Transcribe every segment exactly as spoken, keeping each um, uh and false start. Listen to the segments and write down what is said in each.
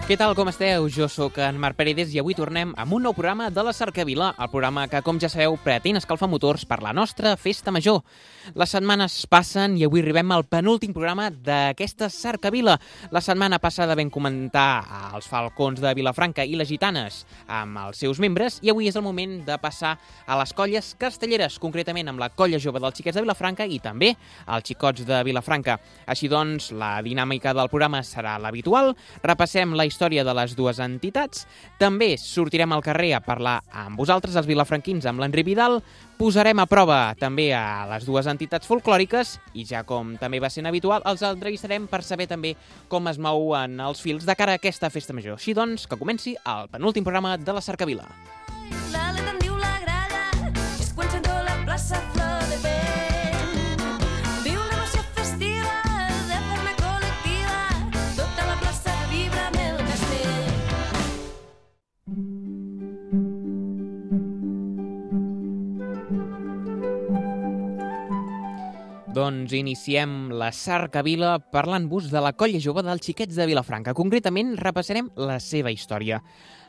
Què tal, com esteu? Jo sóc en Marc Paredes i avui tornem amb un nou programa de la Cercavila, el programa que, com ja sabeu, pretén escalfar motors per la nostra festa major. Les setmanes passen i avui arribem al penúltim programa d'aquesta Cercavila. La setmana passada vam comentar els falcons de Vilafranca i les gitanes amb els seus membres i avui és el moment de passar a les colles castelleres, concretament amb la colla jove dels xiquets de Vilafranca i també els xicots de Vilafranca. Així doncs, la dinàmica del programa serà l'habitual. Repassem la història de les dues entitats. També sortirem al carrer a parlar amb vosaltres, els vilafranquins, amb l'Enric Vidal. Posarem a prova també a les dues entitats folclòriques i ja com també va sent habitual, els entrevistarem per saber també com es mouen els fils de cara a aquesta festa major. Així doncs, que comenci el penúltim programa de la Cercavila. L'Ale te'n diu la gralla, és quan sento la plaça flor de vent. Viu l'emoció festiva de forma col·lectiva, tota la plaça vibra amb el castell. Doncs iniciem la Cercavila parlant-vos de la colla jove dels xiquets de Vilafranca. Concretament, repassarem la seva història.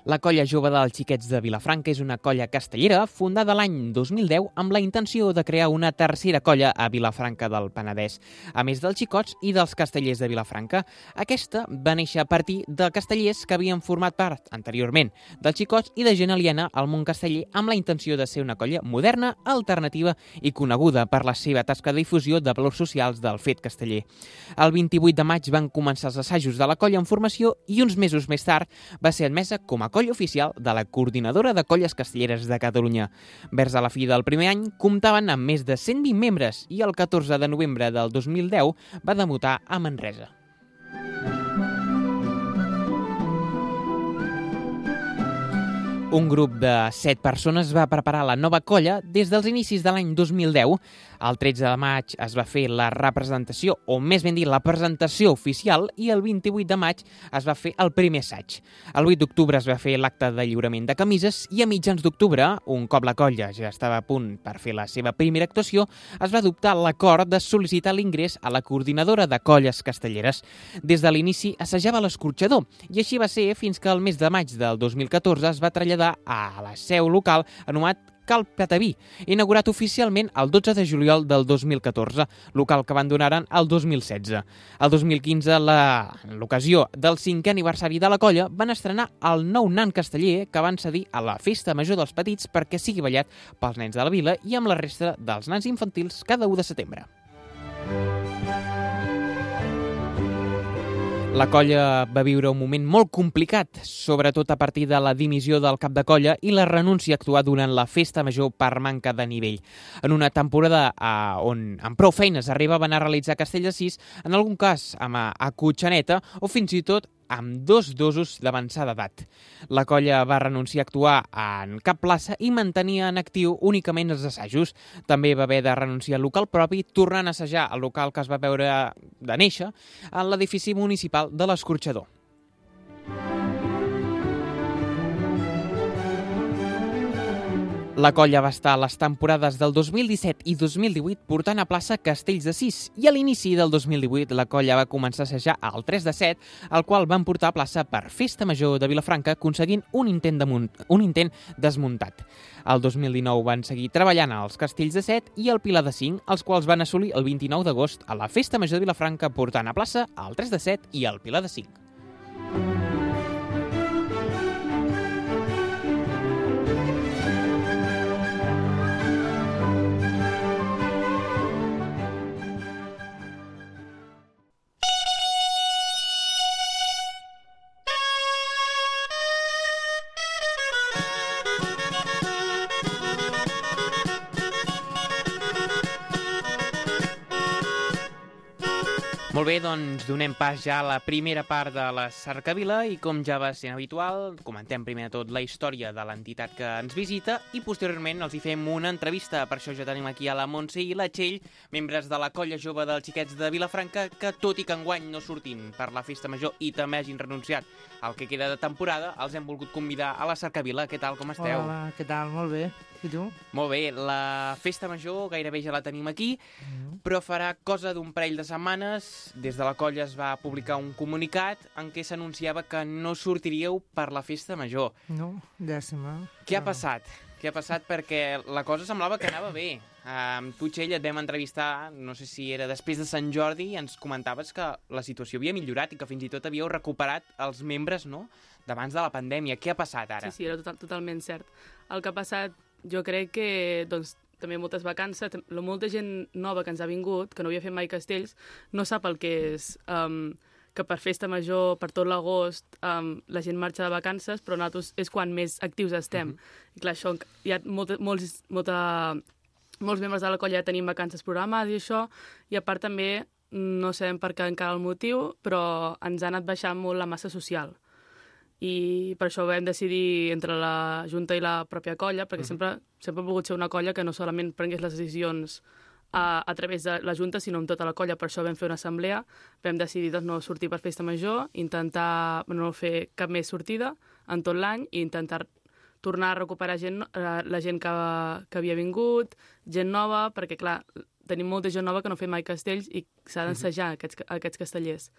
La colla jove dels xiquets de Vilafranca és una colla castellera fundada l'any dos mil deu amb la intenció de crear una tercera colla a Vilafranca del Penedès, a més dels xicots i dels castellers de Vilafranca. Aquesta va néixer a partir de castellers que havien format part anteriorment dels xicots i de gent aliena al món casteller amb la intenció de ser una colla moderna, alternativa i coneguda per la seva tasca de difusió de valors socials del fet casteller. El vint-i-vuit de maig van començar els assajos de la colla en formació i uns mesos més tard va ser admesa com a colla oficial de la Coordinadora de Colles Castelleres de Catalunya. Vers a la fi del primer any comptaven amb més de cent vint membres i el catorze de novembre del dos mil deu va debutar a Manresa. Un grup de set persones va preparar la nova colla des dels inicis de l'any dos mil deu. El tretze de maig es va fer la representació, o més ben dit, la presentació oficial, i el vint-i-vuit de maig es va fer el primer assaig. El vuit d'octubre es va fer l'acte de lliurament de camises i a mitjans d'octubre, un cop la colla ja estava a punt per fer la seva primera actuació, es va adoptar l'acord de sol·licitar l'ingrés a la Coordinadora de Colles Castelleres. Des de l'inici assajava l'escorxador i així va ser fins que el mes de maig del dos mil catorze es va traslladar a la seu local anomenat Cal Pataví, inaugurat oficialment el dotze de juliol del dos mil catorze, local que abandonaren el dos mil setze. El dos mil quinze, la, en l'ocasió del cinquè aniversari de la colla, van estrenar el nou nan casteller que van cedir a la Festa Major dels Petits perquè sigui ballat pels nens de la vila i amb la resta dels nans infantils cada u de setembre. La colla va viure un moment molt complicat, sobretot a partir de la dimissió del cap de colla i la renúncia a actuar durant la festa major per manca de nivell. En una temporada eh, on amb prou feines arribaven a realitzar castell de sis, en algun cas amb a, a cotxaneta o fins i tot amb dos dosos d'avançada edat. La colla va renunciar a actuar en cap plaça i mantenia en actiu únicament els assajos. També va haver de renunciar al local propi, tornant a assajar el local que es va veure de néixer en l'edifici municipal de l'Escorxador. La colla va estar a les temporades del dos mil disset i dos mil divuit portant a plaça castells de sis i a l'inici del dos mil divuit la colla va començar a assajar el tres de set, el qual van portar a plaça per Festa Major de Vilafranca aconseguint un intent, de munt, un intent desmuntat. El dos mil dinou van seguir treballant als castells de set i el Pilar de cinc, els quals van assolir el vint-i-nou d'agost a la Festa Major de Vilafranca portant a plaça el tres de set i el Pilar de cinc. Molt bé, doncs donem pas ja a la primera part de la Cercavila i com ja va ser habitual, comentem primer de tot la història de l'entitat que ens visita i posteriorment els hi fem una entrevista. Per això ja tenim aquí a la Montse i la Txell, membres de la colla jove dels xiquets de Vilafranca, que tot i que enguany no surtin per la festa major i també hagin renunciat al que queda de temporada, els hem volgut convidar a la Cercavila. Què tal, com esteu? Hola, què tal? Molt bé. I tu? Molt bé, la festa major gairebé ja la tenim aquí, mm. però farà cosa d'un parell de setmanes dies, des de la colla es va publicar un comunicat en què s'anunciava que no sortiríeu per la festa major. No, llàstima. Què ha No. passat? Què ha passat? Perquè la cosa semblava que anava bé. Amb tu, Txell, et vam entrevistar, no sé si era després de Sant Jordi, i ens comentaves que la situació havia millorat i que fins i tot havíeu recuperat els membres, no?, d'abans de la pandèmia. Què ha passat ara? Sí, sí, era total, totalment cert. El que ha passat, jo crec que, doncs, també moltes vacances, la molta gent nova que ens ha vingut, que no havia fet mai castells, no sap el que és um, que per festa major, per tot l'agost, um, la gent marxa de vacances, però nosaltres és quan més actius estem. Uh -huh. I clar, això, hi ha molta, molts, molta, molts membres de la colla ja tenim vacances programades i això, i a part també, no sabem per què encara el motiu, però ens ha anat baixant molt la massa social. I per això vam decidir entre la Junta i la pròpia colla, perquè uh -huh. sempre, sempre ha volgut ser una colla que no solament prengués les decisions a, a través de la Junta, sinó amb tota la colla. Per això vam fer una assemblea, vam decidir doncs, no sortir per festa major, intentar no fer cap més sortida en tot l'any i intentar tornar a recuperar gent, la gent que, que havia vingut, gent nova, perquè, clar, tenim molta gent nova que no fa mai castells i s'ha d'ensejar uh -huh. aquests, aquests castellers.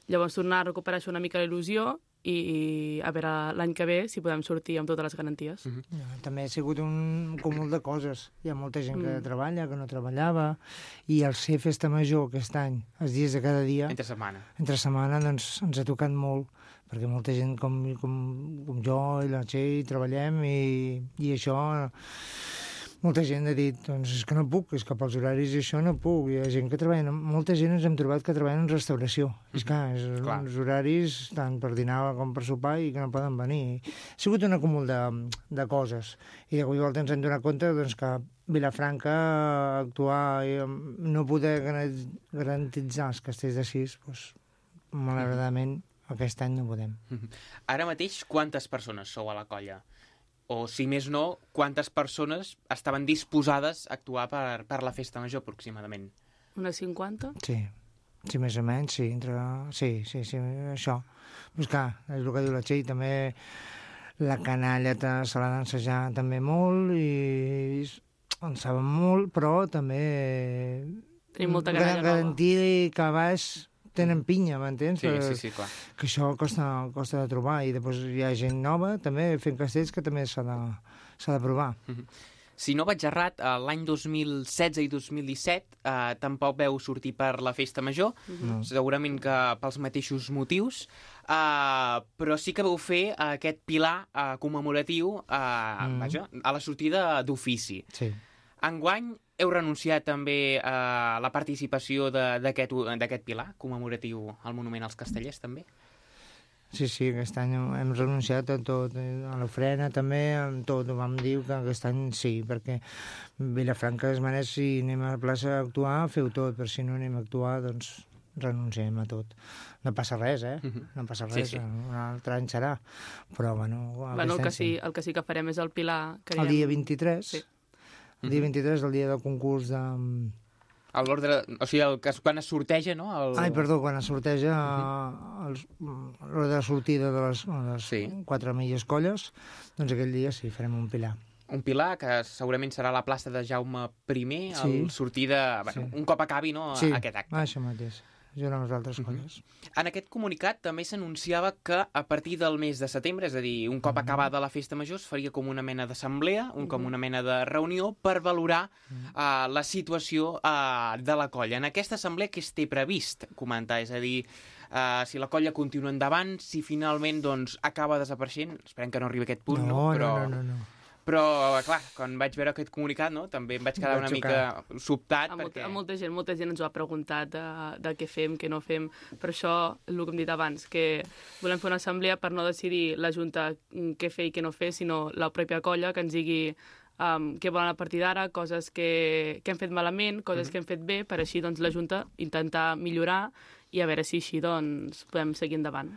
Llavors, tornar a recuperar això una mica la il·lusió i a veure l'any que ve si podem sortir amb totes les garanties. Uh -huh. Ja, també ha sigut un cúmul de coses. Hi ha molta gent que Mm. treballa, que no treballava, i el ser festa major aquest any, els dies de cada dia, Entre setmana. entre setmana, doncs ens ha tocat molt, perquè molta gent com, com, com jo i la Txell treballem i, i això... Molta gent ha dit, doncs és que no puc, és que pels horaris i això no puc. Hi ha gent que treballa, molta gent ens hem trobat que treballen en restauració. Mm-hmm. És clar, és Clar. uns horaris tant per dinar com per sopar i que no poden venir. Ha sigut un acúmul de, de coses. I de cop i volta ens hem donat compte doncs, que Vilafranca actuar i no poder garantitzar els castells de sis, doncs, malauradament aquest any no podem. Ara mateix, quantes persones sou a la colla? O, si més no, quantes persones estaven disposades a actuar per, per la festa major, aproximadament? Unes cinquanta? Sí, sí, més o menys, sí, entre... sí, sí, sí, això. Però clar, és el que diu la Txell, també la canalla se l'ha d'ensejar també molt i en saben molt, però també... Tenim molta canalla nova. Garantir que a baix tenen pinya, m'entens? Sí, sí, sí, clar. Que això costa, costa de trobar, i després hi ha gent nova també fent castells que també s'ha de, s'ha de provar. Si no vaig errat, eh, l'any dos mil setze i dos mil disset eh, tampoc veu sortir per la festa major, No. segurament que pels mateixos motius, eh, però sí que vau fer aquest pilar eh, commemoratiu eh, Mm. vaja, a la sortida d'ofici. Sí. Enguany heu renunciat també a la participació de- d'aquest d'aquest pilar commemoratiu al Monument als Castellers, també? Sí, sí, aquest any hem hem renunciat a tot, eh, a l'ofrena també, amb tot. Vam dir que aquest any sí, perquè Vilafranca es mereix, si anem a la plaça a actuar, feu tot, però si no anem a actuar, doncs renunciem a tot. No passa res, eh? No passa Sí, res, sí. un altre any serà. Però, bueno, Bueno, aquest el que, any sí, el que sí que farem és el pilar. Que El diem- dia vint-i-tres, Sí. el dia vint-i-tres, el dia del concurs de... A l'ordre... O sigui, el, que es- quan es sorteja, no? El... Ai, perdó, quan es sorteja uh els, l'hora de sortida de les, de les Sí. quatre millors colles, doncs aquell dia sí, farem un pilar. Un pilar que segurament serà a la plaça de Jaume I, Sí. al sortida... Bueno, Sí. un cop acabi, no?, Sí, aquest acte. això mateix, junt amb les altres colles. En aquest comunicat també s'anunciava que a partir del mes de setembre, és a dir, un cop acabada la festa major, es faria com una mena d'assemblea, un com una mena de reunió per valorar uh, la situació uh, de la colla. En aquesta assemblea què es té previst comentar? És a dir, uh, si la colla continua endavant, si finalment doncs, acaba desapareixent, esperem que no arribi a aquest punt, no, no, però... no, no, no, no. Però, clar, quan vaig veure aquest comunicat, no, també em vaig quedar Vaig una xocar. mica sobtat, A molta, perquè... a molta gent, molta gent ens ho ha preguntat de, de què fem, què no fem. Per això, el que hem dit abans, que volem fer una assemblea per no decidir la Junta mm, què fer i què no fer, sinó la pròpia colla que ens digui um, què volen a partir d'ara, coses que, que hem fet malament, coses mm -hmm. que hem fet bé, per així doncs, la Junta intentar millorar i a veure si així doncs, podem seguir endavant.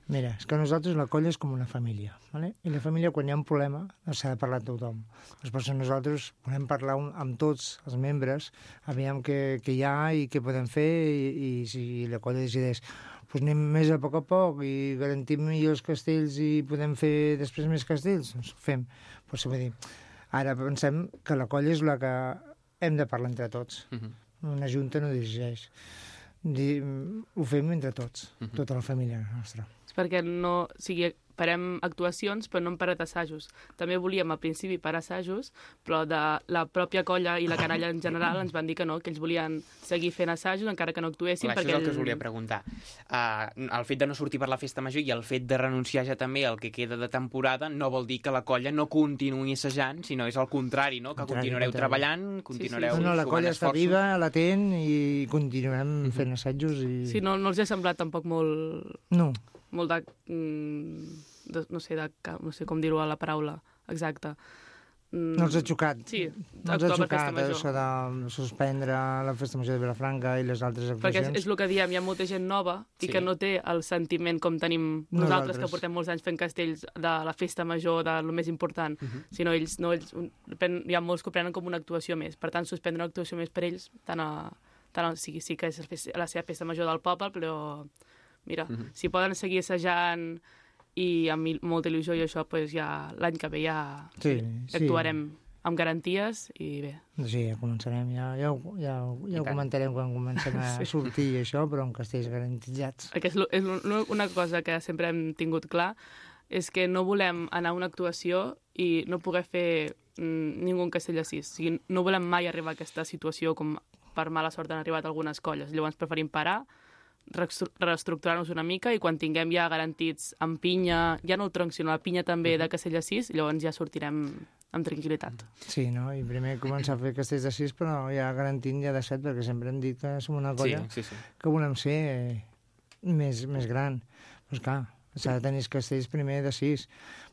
Mira, és que nosaltres la colla és com una família, ¿vale? I la família, quan hi ha un problema, s'ha de parlar amb tothom. Després nosaltres volem parlar un, amb tots els membres, aviam què, què hi ha i què podem fer, i, i si la colla decideix pues anem més a poc a poc i garantim millors castells i podem fer després més castells, doncs ho fem. Pues, vull dir, ara pensem que la colla és la que hem de parlar entre tots. Mhm. Una junta no dirigeix. Di, ho fem entre tots, Mhm. tota la família nostra. És perquè no... O sigui, farem actuacions, però no hem parat assajos. També volíem al principi parar assajos, però de la pròpia colla i la canalla en general ens van dir que no, que ells volien seguir fent assajos encara que no actuessin. Clar, això és el que us volia preguntar. Uh, el fet de no sortir per la festa major i el fet de renunciar ja també al que queda de temporada no vol dir que la colla no continuï assajant, sinó és al contrari, no? Que Contrari, continuareu contrari. treballant, continuareu No, no, la sumant colla està esforços. viva, latent, i continuem fent assajos. I... Sí, no, no els ha semblat tampoc molt... No, molt de, mm, de no sé, de, no sé com dir-ho a la paraula exacta. Mm, no els ha xocat. Sí, no els ha actuar per festa xocat major. això de suspendre la festa major de Vilafranca i les altres Perquè és, actuacions. és el que diem, hi ha molta gent nova i Sí. que no té el sentiment com tenim nosaltres, Nosaltres. que portem molts anys fent castells de la festa major, de lo més important, sinó ells, no, ells pen- hi ha molts que ho prenen com una actuació més. Per tant, suspendre una actuació més per ells, tant a, tant a, sí, sí que és la festa- la seva festa major del poble, però mira, si poden seguir assajant i amb il- molta il·lusió i això, pues ja l'any que ve ja Sí, sí. actuarem amb garanties i bé. Sí, ja començarem, ja, ja, ho- ja, ho- ja I ho tant. comentarem quan comencem a sortir i això, però amb castells garantitzats. Perquè és, lo- és lo- una cosa que sempre hem tingut clar, és que no volem anar a una actuació i no poder fer mm, ningú un castell a sis. O sigui, no volem mai arribar a aquesta situació com per mala sort han arribat algunes colles. Llavors preferim parar, reestru- reestructurar-nos una mica i quan tinguem ja garantits amb pinya, ja no el tronc, sinó la pinya també de castell a sis, llavors ja sortirem amb tranquil·litat. Sí, no? I primer començar a fer castells de sis, però ja garantint ja de set, perquè sempre hem dit que som una colla Sí, sí, sí. que volem ser eh, més, més gran. Doncs clar, s'ha de tenir els castells primer de sis,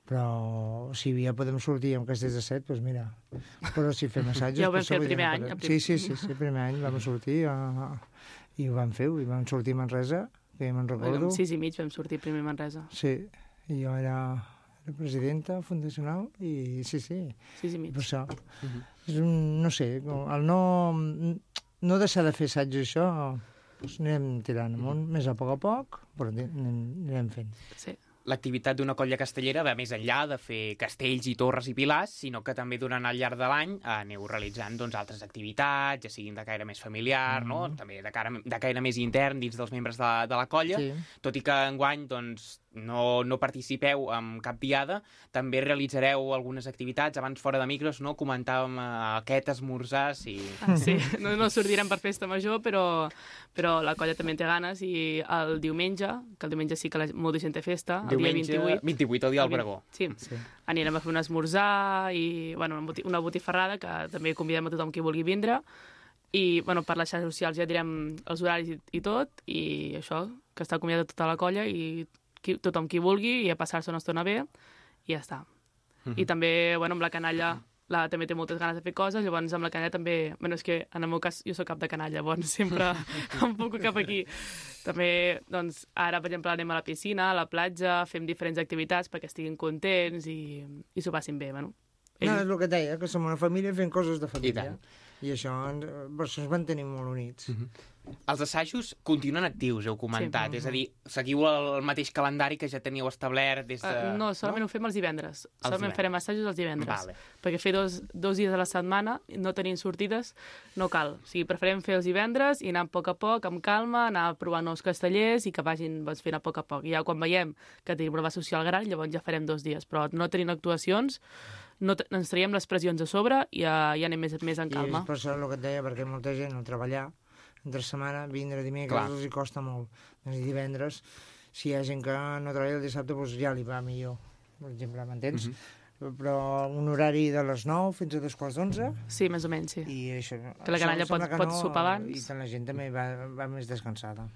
però si ja podem sortir amb castells de set, doncs mira. Però si fem assajos... Ja ho vam potser fer el podríem primer any, parar. el prim- Sí, sí, sí, sí, el primer any vam sortir a... i ho vam fer, i vam sortir a Manresa, que ja me'n recordo. Amb sis i mig vam sortir primer a Manresa. Sí, i jo era, era presidenta fundacional i sí, sí, Sis i mig. per això. És un, no sé, el no, no deixar de fer assaigs i això, doncs anirem tirant amunt, més a poc a poc, però anirem, anirem fent. Sí. L'activitat d'una colla castellera va més enllà de fer castells i torres i pilars, sinó que també durant el llarg de l'any eh, aneu realitzant doncs, altres activitats, ja siguin de caire més familiar, mm. no? També de, cara, de caire més intern dins dels membres de, de la colla, Sí. tot i que enguany doncs, no, no participeu en cap diada, també realitzareu algunes activitats, abans fora de micros, no? Comentàvem eh, aquest esmorzars i... Ah, sí, no, no sortirem per festa major, però, però la colla també en té ganes i el diumenge, que el diumenge sí que la, molta gent té festa, el Diumenge, dia vint-i-vuit. vint-i-vuit, el dia del el pregó. Sí. Sí. Anirem a fer un esmorzar i bueno, una, boti una botifarrada que també convidem a tothom qui vulgui vindre i bueno, per les xarxes socials ja direm els horaris i, i tot i això, que està convidada tota la colla i qui, tothom qui vulgui i a passar-se una estona bé i ja està. Mhm. I també, bueno, amb la canalla la, també té moltes ganes de fer coses, llavors amb la canalla també... Bueno, és que en el meu cas jo sóc cap de canalla, llavors sempre em puc cap aquí. També, doncs, ara, per exemple, anem a la piscina, a la platja, fem diferents activitats perquè estiguin contents i, i s'ho passin bé, bueno. No, és el que et deia, que som una família fent coses de família. tant. I això, ens- per això ens mantenim molt units. Els assajos continuen actius, heu comentat. Sí. És a dir, seguiu el mateix calendari que ja teníeu establert des de... Uh, no, solament no? ho fem els divendres. solament divendres. farem assajos els divendres. Vale. Perquè fer dos, dos dies a la setmana, no tenint sortides, no cal. O sigui, preferem fer els divendres i anar a poc a poc, amb calma, anar provant nous castellers i que vagin doncs, fent a poc a poc. I ja quan veiem que tenim una base social gran, llavors ja farem dos dies. Però no tenint actuacions, no ens traiem les pressions a sobre i ja, ja anem més, més en calma. I és per això el que et deia, perquè molta gent al treballar, entre setmana, vindre dimecres, Clar. els hi costa molt. I divendres, si hi ha gent que no treballa el dissabte, doncs ja li va millor. Per exemple, m'entens? Però un horari de les nou fins a dos quarts d'onze, Sí, més o menys, sí. i això... Que la canalla sembla pot- que pot sopar abans. I tant la gent també va, va més descansada.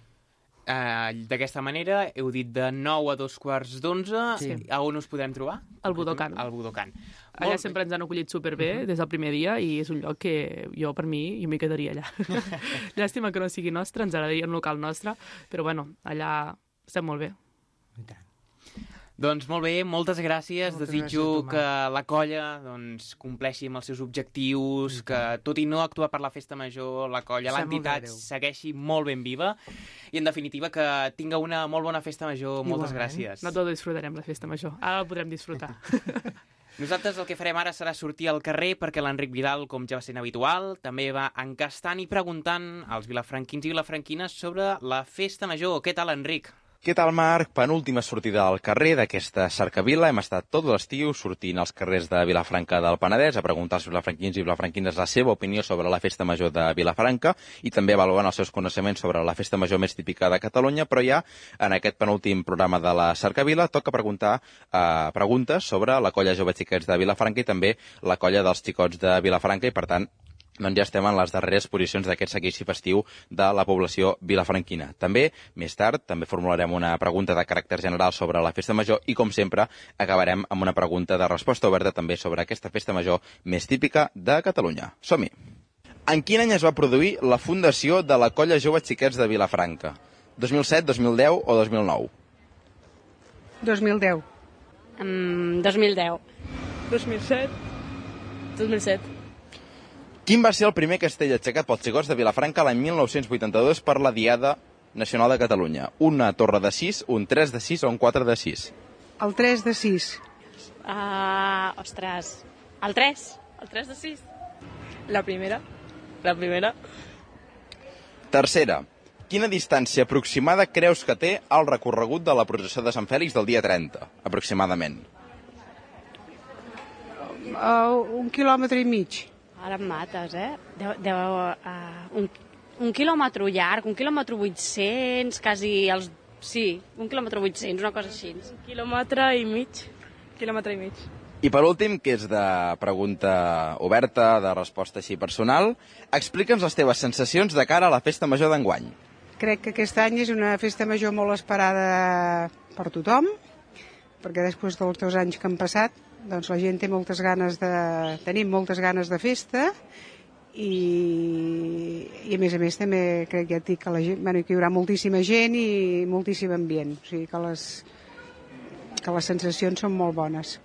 Uh, D'aquesta manera, heu dit de nou a dos quarts d'onze. Sí. A on us podem trobar? Al Budokan. Al Budokan. Allà sempre ens han acollit superbé des del primer dia i és un lloc que jo, per mi, jo m'hi quedaria allà. Llàstima que no sigui nostre, ens agradaria un local nostre, però bueno, allà estem molt bé. I tant. Doncs molt bé, moltes gràcies. Moltes Desitjo gràcies, Tomàs. que la colla doncs, compleixi amb els seus objectius, que tot i no actuar per la festa major, la colla, Sap molt de l'entitat greu. segueixi molt ben viva i, en definitiva, que tinga una molt bona festa major. Moltes Igualment. gràcies. No tot disfrutarem la festa major, ara la podrem disfrutar. Nosaltres el que farem ara serà sortir al carrer perquè l'Enric Vidal, com ja va sent habitual, també va encastant i preguntant als vilafranquins i vilafranquines sobre la festa major. Què tal, Enric? Què tal, Marc? Penúltima sortida al carrer d'aquesta cercavila. Hem estat tot l'estiu sortint als carrers de Vilafranca del Penedès a preguntar als vilafranquins i vilafranquines la seva opinió sobre la festa major de Vilafranca i també avaluant els seus coneixements sobre la festa major més típica de Catalunya, però ja en aquest penúltim programa de la cercavila toca preguntar eh, preguntes sobre la colla Jove Xiquets de Vilafranca i també la colla dels Xicots de Vilafranca i, per tant, doncs ja estem en les darreres posicions d'aquest seguici festiu de la població vilafranquina. També, més tard, també formularem una pregunta de caràcter general sobre la festa major i, com sempre, acabarem amb una pregunta de resposta oberta també sobre aquesta festa major més típica de Catalunya. Som-hi! En quin any es va produir la fundació de la colla Jove Xiquets de Vilafranca? dos mil set, dos mil deu o dos mil nou? dos mil deu. Um, dos mil deu. dos mil set. dos mil set. Quin va ser el primer castell aixecat pels xicots de Vilafranca l'any mil nou-cents vuitanta-dos per la Diada Nacional de Catalunya? Una torre de sis, un tres de sis o un quatre de sis? El tres de sis. Uh, ostres, el tres. El tres de sis. La primera. La primera. Tercera. Quina distància aproximada creus que té el recorregut de la processó de Sant Fèlix del dia trenta, aproximadament? Uh, un quilòmetre i mig. Ara em mates, eh? Deu, deu, uh, un, un quilòmetre llarg, un quilòmetre vuit-cents, quasi els... Sí, un quilòmetre vuit-cents, una cosa així. Quilòmetre i mig. Quilòmetre i mig. I per últim, que és de pregunta oberta, de resposta així personal, explica'ns les teves sensacions de cara a la festa major d'enguany. Crec que aquest any és una festa major molt esperada per tothom, perquè després dels dos anys que han passat, doncs la gent té moltes ganes de... tenim moltes ganes de festa i, i a més a més també crec ja et dic que, la gent, bueno, que hi haurà moltíssima gent i moltíssim ambient, o sigui que les, que les sensacions són molt bones.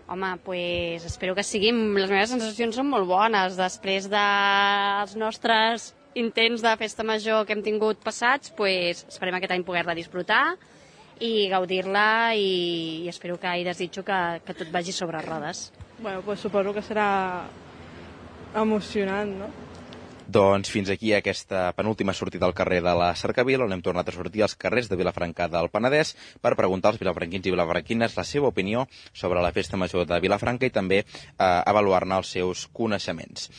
Home, pues, espero que siguin... Les meves sensacions són molt bones. Després dels nostres intents de festa major que hem tingut passats, pues, esperem aquest any poder-la disfrutar i gaudir-la i, i espero que i desitjo que, que tot vagi sobre rodes. Bueno, pues suposo que serà emocionant, no? Doncs fins aquí aquesta penúltima sortida al carrer de la Cercavila, on hem tornat a sortir als carrers de Vilafranca del Penedès per preguntar als vilafranquins i vilafranquines la seva opinió sobre la festa major de Vilafranca i també eh, avaluar-ne els seus coneixements.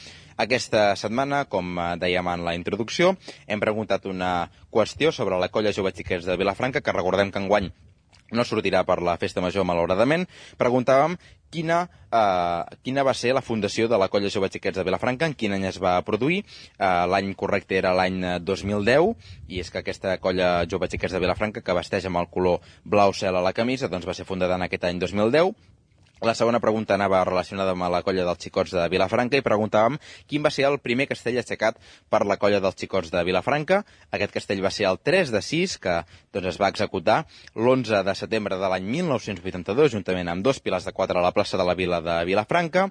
Aquesta setmana, com dèiem en la introducció, hem preguntat una qüestió sobre la colla Jove Xiquets de Vilafranca, que recordem que enguany no sortirà per la festa major, malauradament. Preguntàvem quina, eh, quina va ser la fundació de la colla Jove Xiquets de Vilafranca, en quin any es va produir. Eh, l'any correcte era l'any dos mil deu, i és que aquesta colla Jove Xiquets de Vilafranca, que vesteix amb el color blau cel a la camisa, doncs va ser fundada en aquest any dos mil deu. La segona pregunta anava relacionada amb la colla dels Xicots de Vilafranca i preguntàvem quin va ser el primer castell aixecat per la colla dels Xicots de Vilafranca. Aquest castell va ser el tres de sis, que doncs, es va executar l'onze de setembre de l'any mil nou-cents vuitanta-dos, juntament amb dos pilars de quatre a la plaça de la Vila de Vilafranca.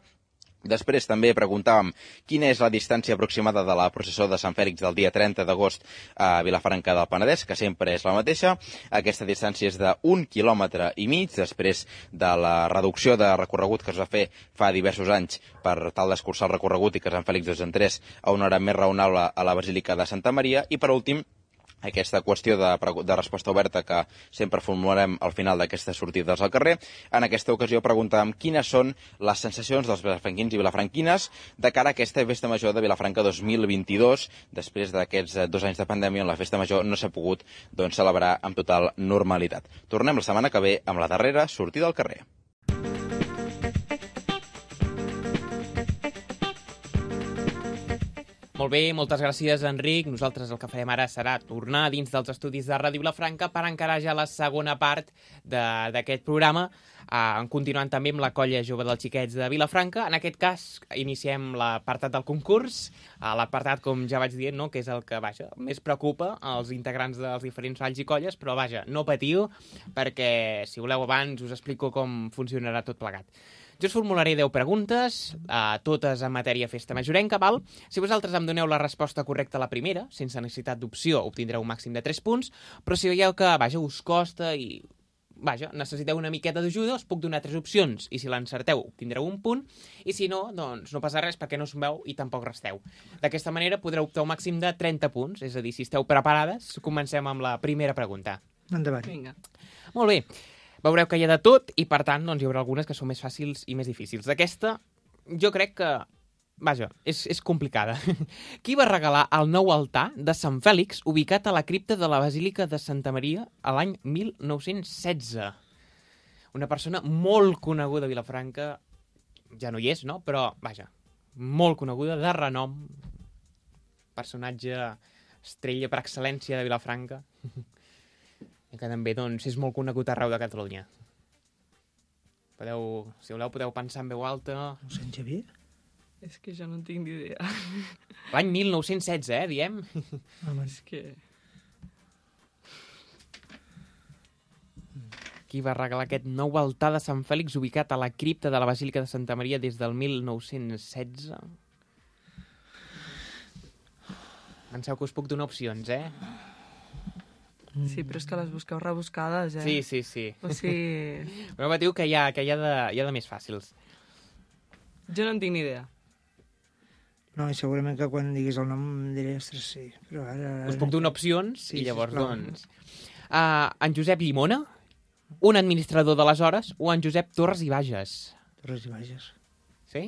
Després també preguntàvem quina és la distància aproximada de la processó de Sant Fèlix del dia trenta d'agost a Vilafranca del Penedès, que sempre és la mateixa. Aquesta distància és d'un quilòmetre i mig, després de la reducció de recorregut que es va fer fa diversos anys per tal d'escurçar el recorregut i que Sant Fèlix dos entrés a una hora més raonable a la Basílica de Santa Maria. I per últim, aquesta qüestió de, de resposta oberta que sempre formularem al final d'aquestes sortides al carrer. En aquesta ocasió preguntàvem quines són les sensacions dels vilafranquins i vilafranquines de cara a aquesta festa major de Vilafranca dos mil vint-i-dos, després d'aquests dos anys de pandèmia on la festa major no s'ha pogut doncs, celebrar amb total normalitat. Tornem la setmana que ve amb la darrera sortida al carrer. Molt bé, moltes gràcies, Enric. Nosaltres el que farem ara serà tornar dins dels estudis de Ràdio Vilafranca per encarar ja la segona part d'aquest programa, eh, continuant també amb la colla jove dels xiquets de Vilafranca. En aquest cas, iniciem l'apartat del concurs, eh, l'apartat, com ja vaig dir, no?, que és el que, vaja, més preocupa als integrants dels diferents valls i colles, però, vaja, no patiu, perquè, si voleu abans, us explico com funcionarà tot plegat. Jo us formularé deu preguntes, eh, totes en matèria festa majorenca, val? Si vosaltres em doneu la resposta correcta a la primera, sense necessitat d'opció, obtindreu un màxim de tres punts, però si veieu que, vaja, us costa i vaja, necessiteu una miqueta d'ajuda, us puc donar tres opcions, i si l'encerteu obtindreu un punt, i si no, doncs no passa res perquè no us veu i tampoc resteu. D'aquesta manera podreu optar un màxim de trenta punts, és a dir, si esteu preparades, comencem amb la primera pregunta. Endavant. Vinga. Molt bé. Veureu que hi ha de tot i, per tant, doncs, hi haurà algunes que són més fàcils i més difícils. D'aquesta, jo crec que, vaja, és, és complicada. Qui va regalar el nou altar de Sant Fèlix ubicat a la cripta de la Basílica de Santa Maria a l'any mil nou-cents setze? Una persona molt coneguda a Vilafranca, ja no hi és, no? Però, vaja, molt coneguda, de renom, personatge estrella per excel·lència de Vilafranca, i que també doncs, és molt conegut arreu de Catalunya. Podeu, si voleu, podeu pensar en veu alta. Mossèn Xavier? És que jo no en tinc ni idea. L'any mil nou-cents setze, eh, diem? Home, És que... Qui va regalar aquest nou altar de Sant Fèlix ubicat a la cripta de la Basílica de Santa Maria des del mil nou-cents setze? Penseu que us puc donar opcions, eh? Sí, però és que les busqueu rebuscades, eh? Sí, sí, sí. O sigui... Però diu que hi ha, que hi ha, de, hi ha de més fàcils. Jo no en tinc ni idea. no, i segurament que quan diguis el nom em diré, ostres, sí, però ara... Us puc donar opcions Sí, i llavors, sisplau. doncs... Uh, en Josep Llimona, un administrador d'aleshores, o en Josep Torres i Bages? Torres i Bages. Sí?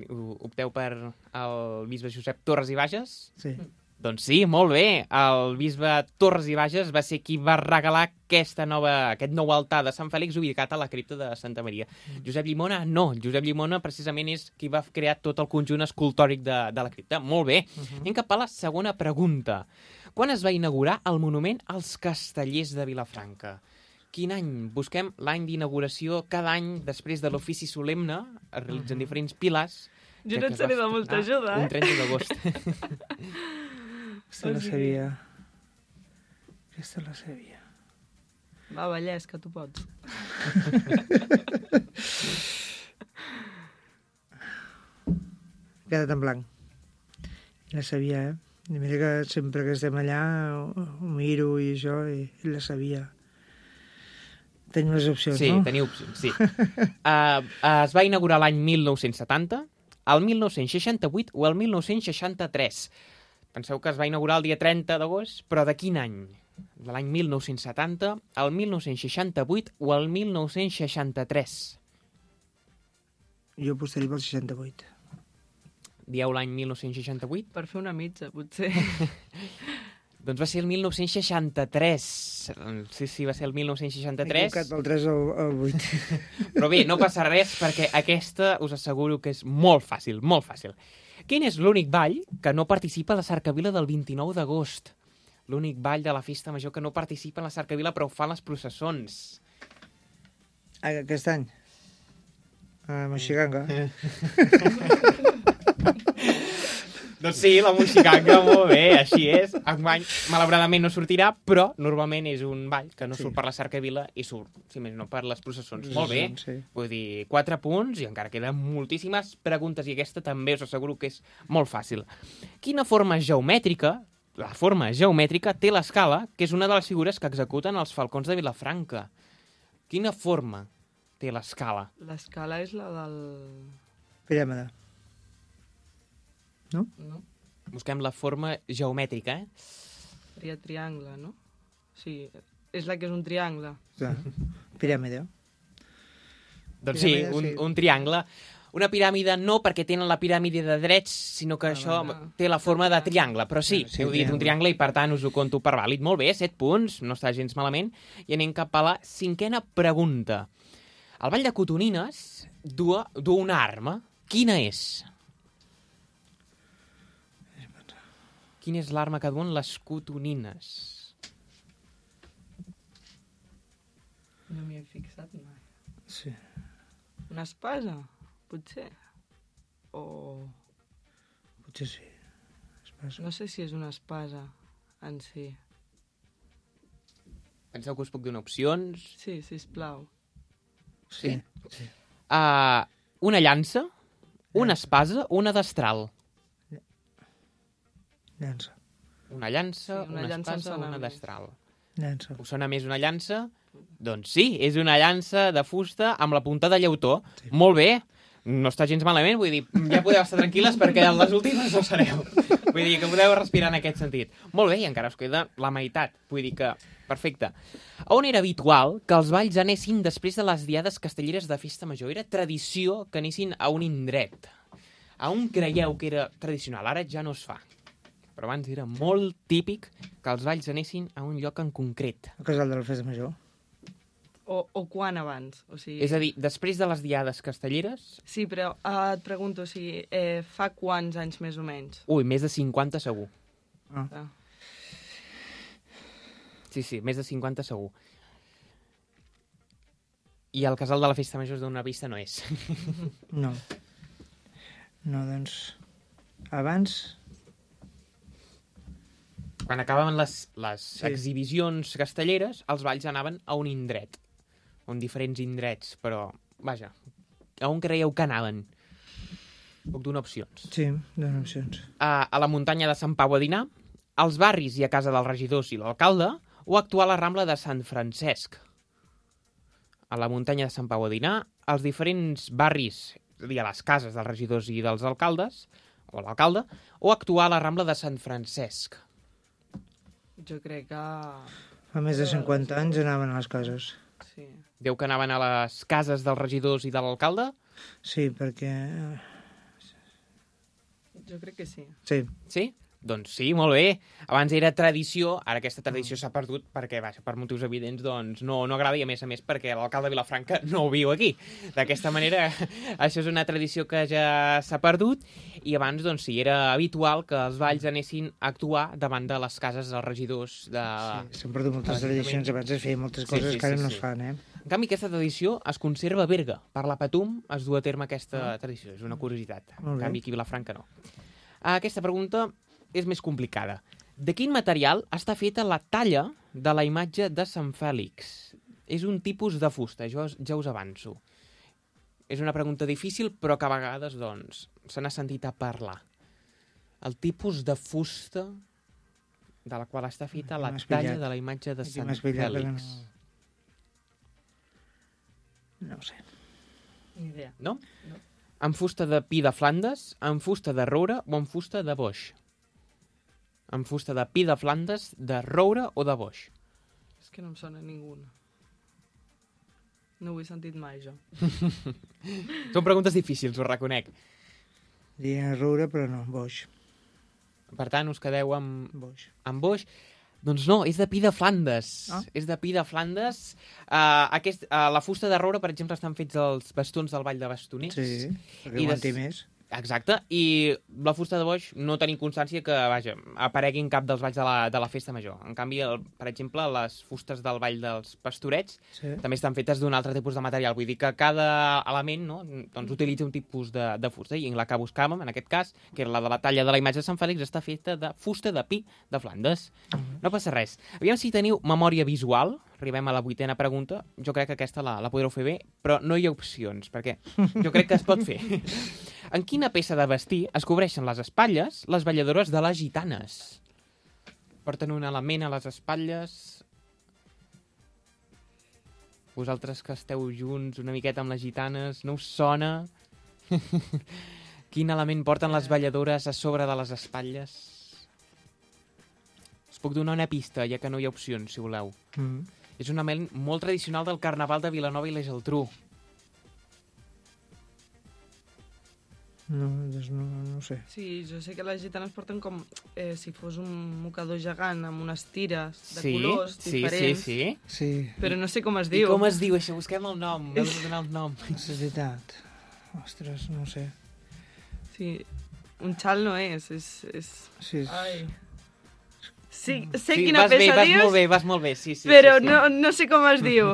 O- Opteu per el bisbe Josep Torres i Bages? Sí. Doncs sí, molt bé. El bisbe Torres i Bages va ser qui va regalar aquesta nova, aquest nou altar de Sant Fèlix ubicat a la cripta de Santa Maria. Mm. Josep Llimona, no. Josep Llimona precisament és qui va crear tot el conjunt escultòric de, de la cripta. Molt bé. Uh -huh. Anem cap a la segona pregunta. Quan es va inaugurar el monument als Castellers de Vilafranca? Quin any? Busquem l'any d'inauguració. Cada any, després de l'ofici solemne, es realitzen uh -huh. diferents piles. Jo Crec no que et es seré va de molta estrenar ajuda, eh? Un trenta d'agost. Aquesta la sabia. Aquesta la sabia. Va, Vallès, que tu pots. He quedat en blanc. La sabia, eh? I mira que sempre que estem allà ho, ho miro i això, i, i la sabia. Tenim les opcions, Sí, no? teniu opcions, sí. uh, uh, es va inaugurar l'any mil nou-cents setanta, el mil nou-cents seixanta-vuit o el mil nou-cents seixanta-tres. Penseu que es va inaugurar el dia trenta d'agost, però de quin any? De l'any mil nou-cents setanta, el mil nou-cents seixanta-vuit o el mil nou-cents seixanta-tres? Jo apostaria pel seixanta-vuit. Dieu l'any mil nou-cents seixanta-vuit? Per fer una mitja, potser. Doncs va ser el mil nou-cents seixanta-tres. Sí, sí, va ser el mil nou-cents M'he seixanta-tres. equivocat del tres al, al vuit. Però bé, no passa res perquè aquesta us asseguro que és molt fàcil, molt fàcil. Quin és l'únic ball que no participa a la Cercavila del vint-i-nou d'agost? L'únic ball de la Festa Major que no participa en la Cercavila però ho fan les processons. Aquest any? A Moixiganga. Doncs sí, la Moixiganga, molt bé, així és. Enguany, malauradament no sortirà, però normalment és un ball que no Sí. surt per la Cercavila i surt, si més no, per les processons. Molt bé. Sí. Vull dir, quatre punts i encara queden moltíssimes preguntes i aquesta també us asseguro que és molt fàcil. Quina forma geomètrica, la forma geomètrica, té l'escala, que és una de les figures que executen els falcons de Vilafranca? Quina forma té l'escala? L'escala és la del... Piràmide. No? No? Busquem la forma geomètrica, eh? Seria triangle, no? Sí, és la que és un triangle. Ja. Piràmide. Doncs sí, Piràmide, un, sí. un triangle. Una piràmide no perquè tenen la piràmide de drets, sinó que Ah, això va. té la forma de triangle. Però sí, Sí, heu dit un triangle. triangle i per tant us ho conto per vàlid. Molt bé, set punts, no està gens malament. I anem cap a la cinquena pregunta. El Ball de Cotonines du, du una arma. Quina és? Quina és l'arma que duen les cotonines? No m'hi he fixat mai. Sí. Una espasa, potser? O... Potser sí. Espasa. No sé si és una espasa en si. Penseu que us puc donar opcions? Sí, sisplau. Sí. Sí. Uh, una llança, una espasa o una destral? Llança. Una llança, Sí, una una llança em espasa o sona una més. destral? Llança. Us sona més una llança? Doncs sí, és una llança de fusta amb la punta de llautó. Sí. Molt bé, no està gens malament, vull dir, ja podeu estar tranquil·les perquè en les últimes no sereu. Vull dir que podeu respirar en aquest sentit. Molt bé, i encara us queda la meitat, vull dir que perfecte. On era habitual que els balls anessin després de les diades castelleres de festa major? Era tradició que anessin a un indret. A on creieu que era tradicional? Ara ja no es fa. Però abans era molt típic que els balls anessin a un lloc en concret. El casal de la festa major. O, o quan abans? O sigui... És a dir, després de les diades castelleres... Sí, però eh, et pregunto, o sigui, eh, fa quants anys més o menys? Ui, més de cinquanta segur. Ah. Ah. Sí, sí, més de cinquanta segur. I el casal de la festa major d'una vista no és. No. No, doncs... Abans... Quan acabaven les, les Sí. exhibicions castelleres, els balls anaven a un indret. On diferents indrets, però, vaja, a on creieu que anaven? Puc donar opcions. Sí, dono opcions. A, a la muntanya de Sant Pau a dinar, als barris i a casa dels regidors i l'alcalde, o actuar a la Rambla de Sant Francesc. A la muntanya de Sant Pau a dinar, als diferents barris, és a dir, a les cases dels regidors i dels alcaldes, o l'alcalde, o actuar a la Rambla de Sant Francesc. Jo crec que... Fa més de cinquanta anys anaven a les cases. Sí. Diu que anaven a les cases dels regidors i de l'alcalde? Sí, perquè... Jo crec que sí. Sí. Sí? Doncs sí, molt bé. Abans era tradició, ara aquesta tradició s'ha perdut perquè, vaja, per motius evidents, doncs no, no agrada i, a més a més, perquè l'alcalde de Vilafranca no viu aquí. D'aquesta manera, això és una tradició que ja s'ha perdut i abans, doncs sí, era habitual que els balls anessin a actuar davant de les cases dels regidors de... Sí, s'han perdut moltes tradicions. Abans es feien moltes Sí, coses sí, que ara sí, no sí. es fan, eh? En canvi, aquesta tradició es conserva a Berga. Per la Patum es du a terme aquesta tradició. És una curiositat. Molt En bé. canvi, aquí a Vilafranca no. Aquesta pregunta és més complicada. De quin material està feta la talla de la imatge de Sant Fèlix? És un tipus de fusta, jo ja us avanço. És una pregunta difícil, però que a vegades, doncs, se n'ha sentit a parlar. El tipus de fusta de la qual està feta Aquí la m'has talla pillat. de la imatge de Aquí Sant m'has pillat, perquè Fèlix. No... no ho sé. Ni idea. No? Amb fusta de pi de Flandes, amb fusta de roure o amb fusta de boix? Amb fusta de pi de Flandes, de roure o de boix? És que no em sona ninguna. No ho he sentit mai, jo. Són preguntes difícils, ho reconec. Diria roure, però no, boix. Per tant, us quedeu amb, Boix. amb boix. Doncs no, és de pi de Flandes. Ah. És de pi de Flandes. Uh, aquest, uh, la fusta de roure, per exemple, estan fets els bastons del Ball de Bastoners. Sí, perquè I aguanti des- més. Exacte, i la fusta de boix no tenim constància que, vaja, aparegui en cap dels balls de la, de la festa major. En canvi, el, per exemple, les fustes del ball dels pastorets Sí. també estan fetes d'un altre tipus de material. Vull dir que cada element, no, doncs utilitza un tipus de, de fusta, i la que buscàvem, en aquest cas, que era la de la talla de la imatge de Sant Fèlix, està feta de fusta de pi de Flandes. No passa res. Aviam si teniu memòria visual. Arribem a la vuitena pregunta. Jo crec que aquesta la, la podreu fer bé, però no hi ha opcions, perquè jo crec que es pot fer. En quina peça de vestir es cobreixen les espatlles les balladores de les gitanes? Porten un element a les espatlles... Vosaltres que esteu junts una miqueta amb les gitanes, no us sona? Quin element porten les balladores a sobre de les espatlles? Us puc donar una pista, ja que no hi ha opcions, si voleu. Mm. És un element molt tradicional del Carnaval de Vilanova i la Geltrú. No, doncs no, no ho sé. Sí, jo sé que les gitanes porten com eh, si fos un mocador gegant amb unes tires de sí, colors sí, diferents, sí, sí. Sí, però no sé com es I diu. com es diu això? Busquem el nom. Heu de donar el nom. és veritat. Ostres, no ho sé. Sí, un xal no és, és... és... Sí, és... Ai. Sí, sé Sí, quina vas bé, peça vas dius, molt bé, vas molt bé. Sí, sí, però sí, sí. No, no sé com es diu.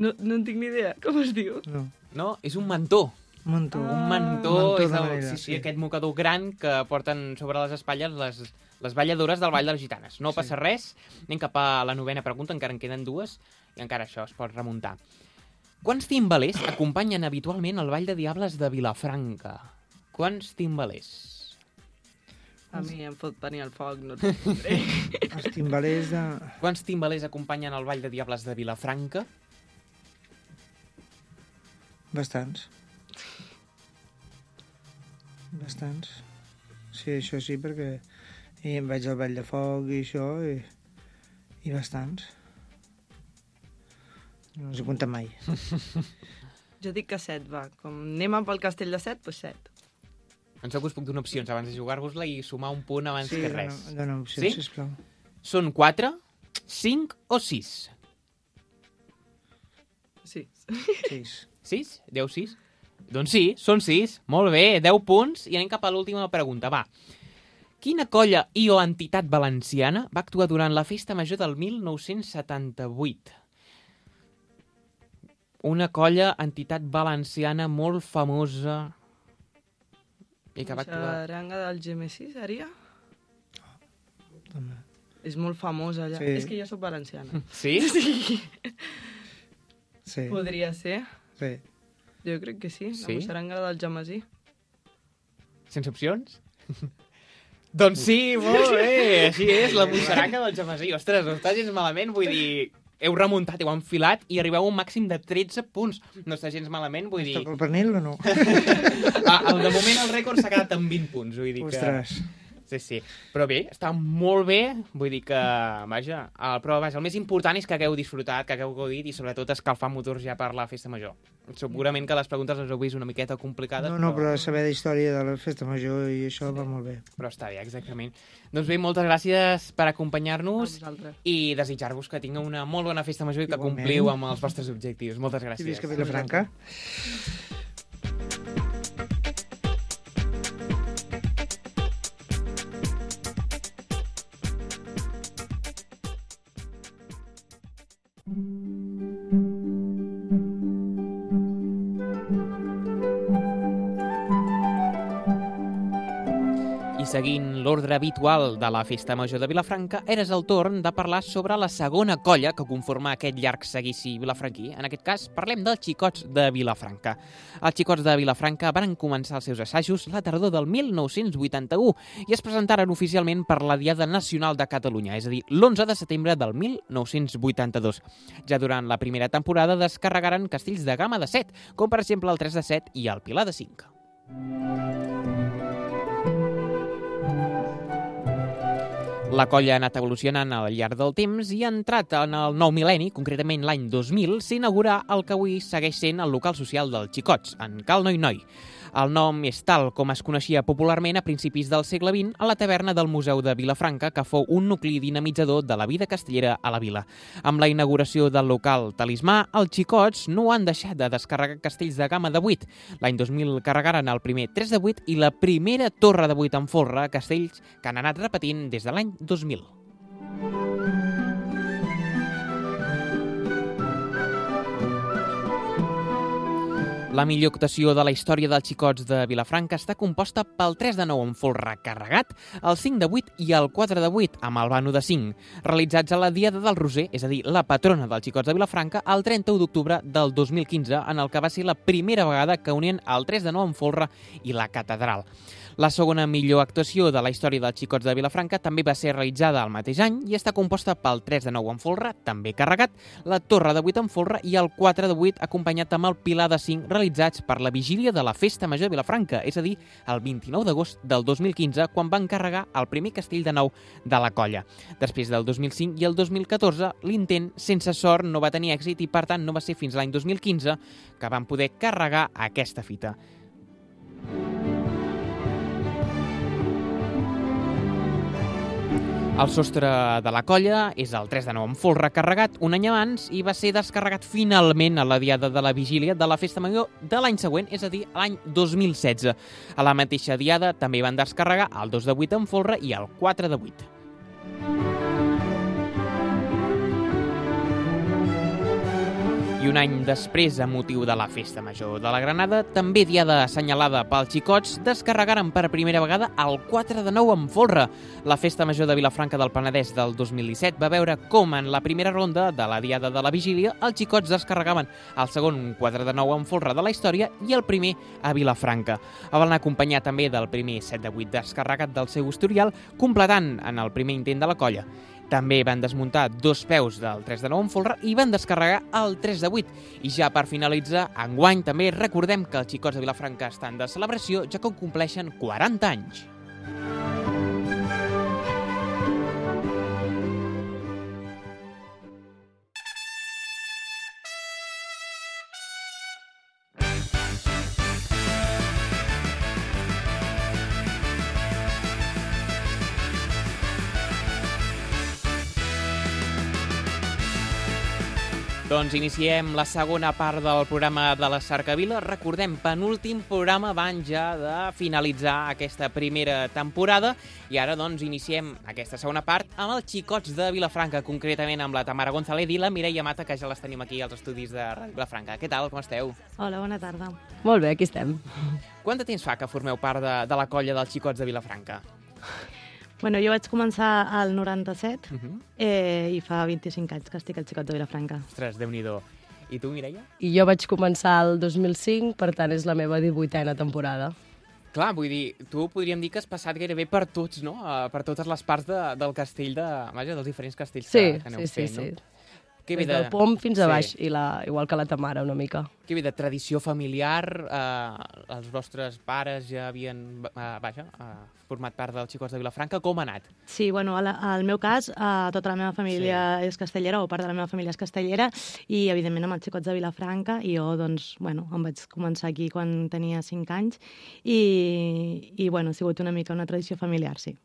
No, no en tinc ni idea. Com es diu? No. No, és un mantó. Mantó. Un mantó, Mantó és de el, manera, sí, sí, sí. aquest mocador gran que porten sobre les espatlles les, les balladores del Ball de les Gitanes. No Sí. passa res, anem cap a la novena pregunta, encara en queden dues, i encara això es pot remuntar. Quants timbalers acompanyen habitualment el Ball de Diables de Vilafranca? Quants timbalers? A mi em fot venir al foc, no et respondré. Els timbalers de... Quants timbalers acompanyen el Ball de Diables de Vilafranca? Bastants. Bastants. Sí, això sí, perquè i em vaig al Ball de Foc i això, i, i bastants. No els he comptat mai. Jo dic que set, va. Com anem pel castell de set, doncs set. En sóc us puc donar opcions abans de jugar-vos-la i sumar un punt abans Sí, que dona, res. dona opcions, Sí? sisplau. Són quatre, cinc o sis? Sí. Sis. Sis? Deu sis? Doncs sí, són sis. Molt bé, deu punts. I anem cap a l'última pregunta. Va. Quina colla i o entitat valenciana va actuar durant la Festa Major del mil nou-cents setanta-vuit? Una colla, entitat valenciana molt famosa i que va actuar... Xaranga del G M C, seria? Dona. És molt famosa allà. Sí. És que jo sóc valenciana. Sí? Sí. Sí, Podria ser. sí. Jo crec que sí. Sí? La xaranga del Jamasí. Sense opcions? Doncs sí, molt bé, així és, la moixaranga del Jamasí. Ostres, no està gens malament, vull dir... Heu remuntat, heu enfilat i arribeu a un màxim de tretze punts. No està gens malament, vull dir... Toca el pernil o no? Ah, el, de moment el rècord s'ha quedat amb vint punts, vull dir que... Ostres. Sí, sí. Però bé, està molt bé, vull dir que, vaja, el, però vaja, el més important és que hagueu disfrutat, que hagueu gaudit i sobretot escalfar motors ja per la Festa Major. Segurament que les preguntes les heu vist una miqueta complicades, No, no, però... però saber d'història de la festa major i això va molt bé. Però està bé, exactament. Doncs bé, moltes gràcies per acompanyar-nos A vosaltres. i desitjar-vos que tingueu una molt bona Festa Major i que Igualment. compliu amb els vostres objectius. Moltes I gràcies. visca Vilafranca. I seguint l'ordre habitual de la Festa Major de Vilafranca, eres el torn de parlar sobre la segona colla que conforma aquest llarg seguici vilafranquí. En aquest cas, parlem dels Xicots de Vilafranca. Els Xicots de Vilafranca van començar els seus assajos la tardor del mil nou-cents vuitanta-u i es presentaren oficialment per la Diada Nacional de Catalunya, és a dir, l'onze de setembre del mil nou-cents vuitanta-dos. Ja durant la primera temporada descarregaren castells de gamma de set, com per exemple el tres de set i el Pilar de cinc. La colla ha anat evolucionant al llarg del temps i ha entrat en el nou mil·lenni, concretament l'any dos mil, s'inaugurà el que avui segueix sent el local social dels Xicots, en Cal Noi Noi. El nom és tal com es coneixia popularment a principis del segle vint a la taverna del Museu de Vilafranca, que fou un nucli dinamitzador de la vida castellera a la vila. Amb la inauguració del local Talismà, els Xicots no han deixat de descarregar castells de gamma de vuit. L'any dos mil carregaren el primer tres de vuit i la primera torre de vuit en folre, castells que han anat repetint des de l'any dos mil. La millor actuació de la història dels Xicots de Vilafranca està composta pel tres de nou en folre carregat, el cinc de vuit i el quatre de vuit amb el vano de cinc, realitzats a la Diada del Roser, és a dir, la patrona dels Xicots de Vilafranca, el trenta-u d'octubre del dos mil quinze, en el que va ser la primera vegada que unien el tres de nou en folre i la catedral. La segona millor actuació de la història dels Xicots de Vilafranca també va ser realitzada el mateix any i està composta pel tres de nou en folre, també carregat, la torre de vuit en folre i el quatre de vuit acompanyat amb el pilar de cinc realitzats per la vigília de la Festa Major de Vilafranca, és a dir, el vint-i-nou d'agost del dos mil quinze, quan van carregar el primer castell de nou de la colla. Després del dos mil cinc i el dos mil catorze, l'intent sense sort no va tenir èxit i, per tant, no va ser fins l'any dos mil quinze que van poder carregar aquesta fita. El sostre de la colla és el tres de nou en folre carregat un any abans i va ser descarregat finalment a la diada de la vigília de la Festa Major de l'any següent, és a dir, l'any dos mil setze. A la mateixa diada també van descarregar el dos de vuit en folre i el quatre de vuit. I I un any després, a motiu de la Festa Major de la Granada, també diada assenyalada pels xicots, descarregaren per primera vegada el quatre de nou amb folre. La Festa Major de Vilafranca del Penedès del dos mil disset va veure com en la primera ronda de la diada de la Vigília els xicots descarregaven el segon quatre de nou amb folre de la història i el primer a Vilafranca. El van acompanyar també del primer set de vuit descarregat del seu historial, completant en el primer intent de la colla. També van desmuntar dos peus del tres de nou amb folre i van descarregar el tres de vuit. I ja per finalitzar, enguany també recordem que els xicots de Vilafranca estan de celebració, ja que compleixen quaranta anys. Doncs iniciem la segona part del programa de la Cercavila. Recordem, penúltim programa abans ja de finalitzar aquesta primera temporada. I ara doncs iniciem aquesta segona part amb els xicots de Vilafranca, concretament amb la Tamara González i la Mireia Mata, que ja les tenim aquí als estudis de Ràdio Vilafranca. Què tal, com esteu? Hola, bona tarda. Molt bé, aquí estem. Quant de temps fa que formeu part de, de la colla dels xicots de Vilafranca? Bueno, jo vaig començar al noranta-set Uh -huh. eh, i fa vint-i-cinc anys que estic al Xicot de Vilafranca. Ostres, Déu-n'hi-do. I tu, Mireia? I jo vaig començar el dos mil cinc, per tant és la meva divuitena temporada. Clar, vull dir, tu podríem dir que has passat gairebé per tots, no? Uh, per totes les parts de, del castell, de, vaja, dels diferents castells Sí, que, que aneu sí, sí, fent, no? sí. Que Des ve del pom fins a Sí. baix, i la, igual que la Tamara, una mica. Que ve de tradició familiar, eh, els vostres pares ja havien, eh, vaja, eh, format part dels xicots de Vilafranca. Com ha anat? Sí, bueno, al, al meu cas, eh, tota la meva família sí. és castellera, o part de la meva família és castellera, i evidentment amb els Xicots de Vilafranca, i jo, doncs, bueno, em vaig començar aquí quan tenia cinc anys, i, i bueno, ha sigut una mica una tradició familiar, sí.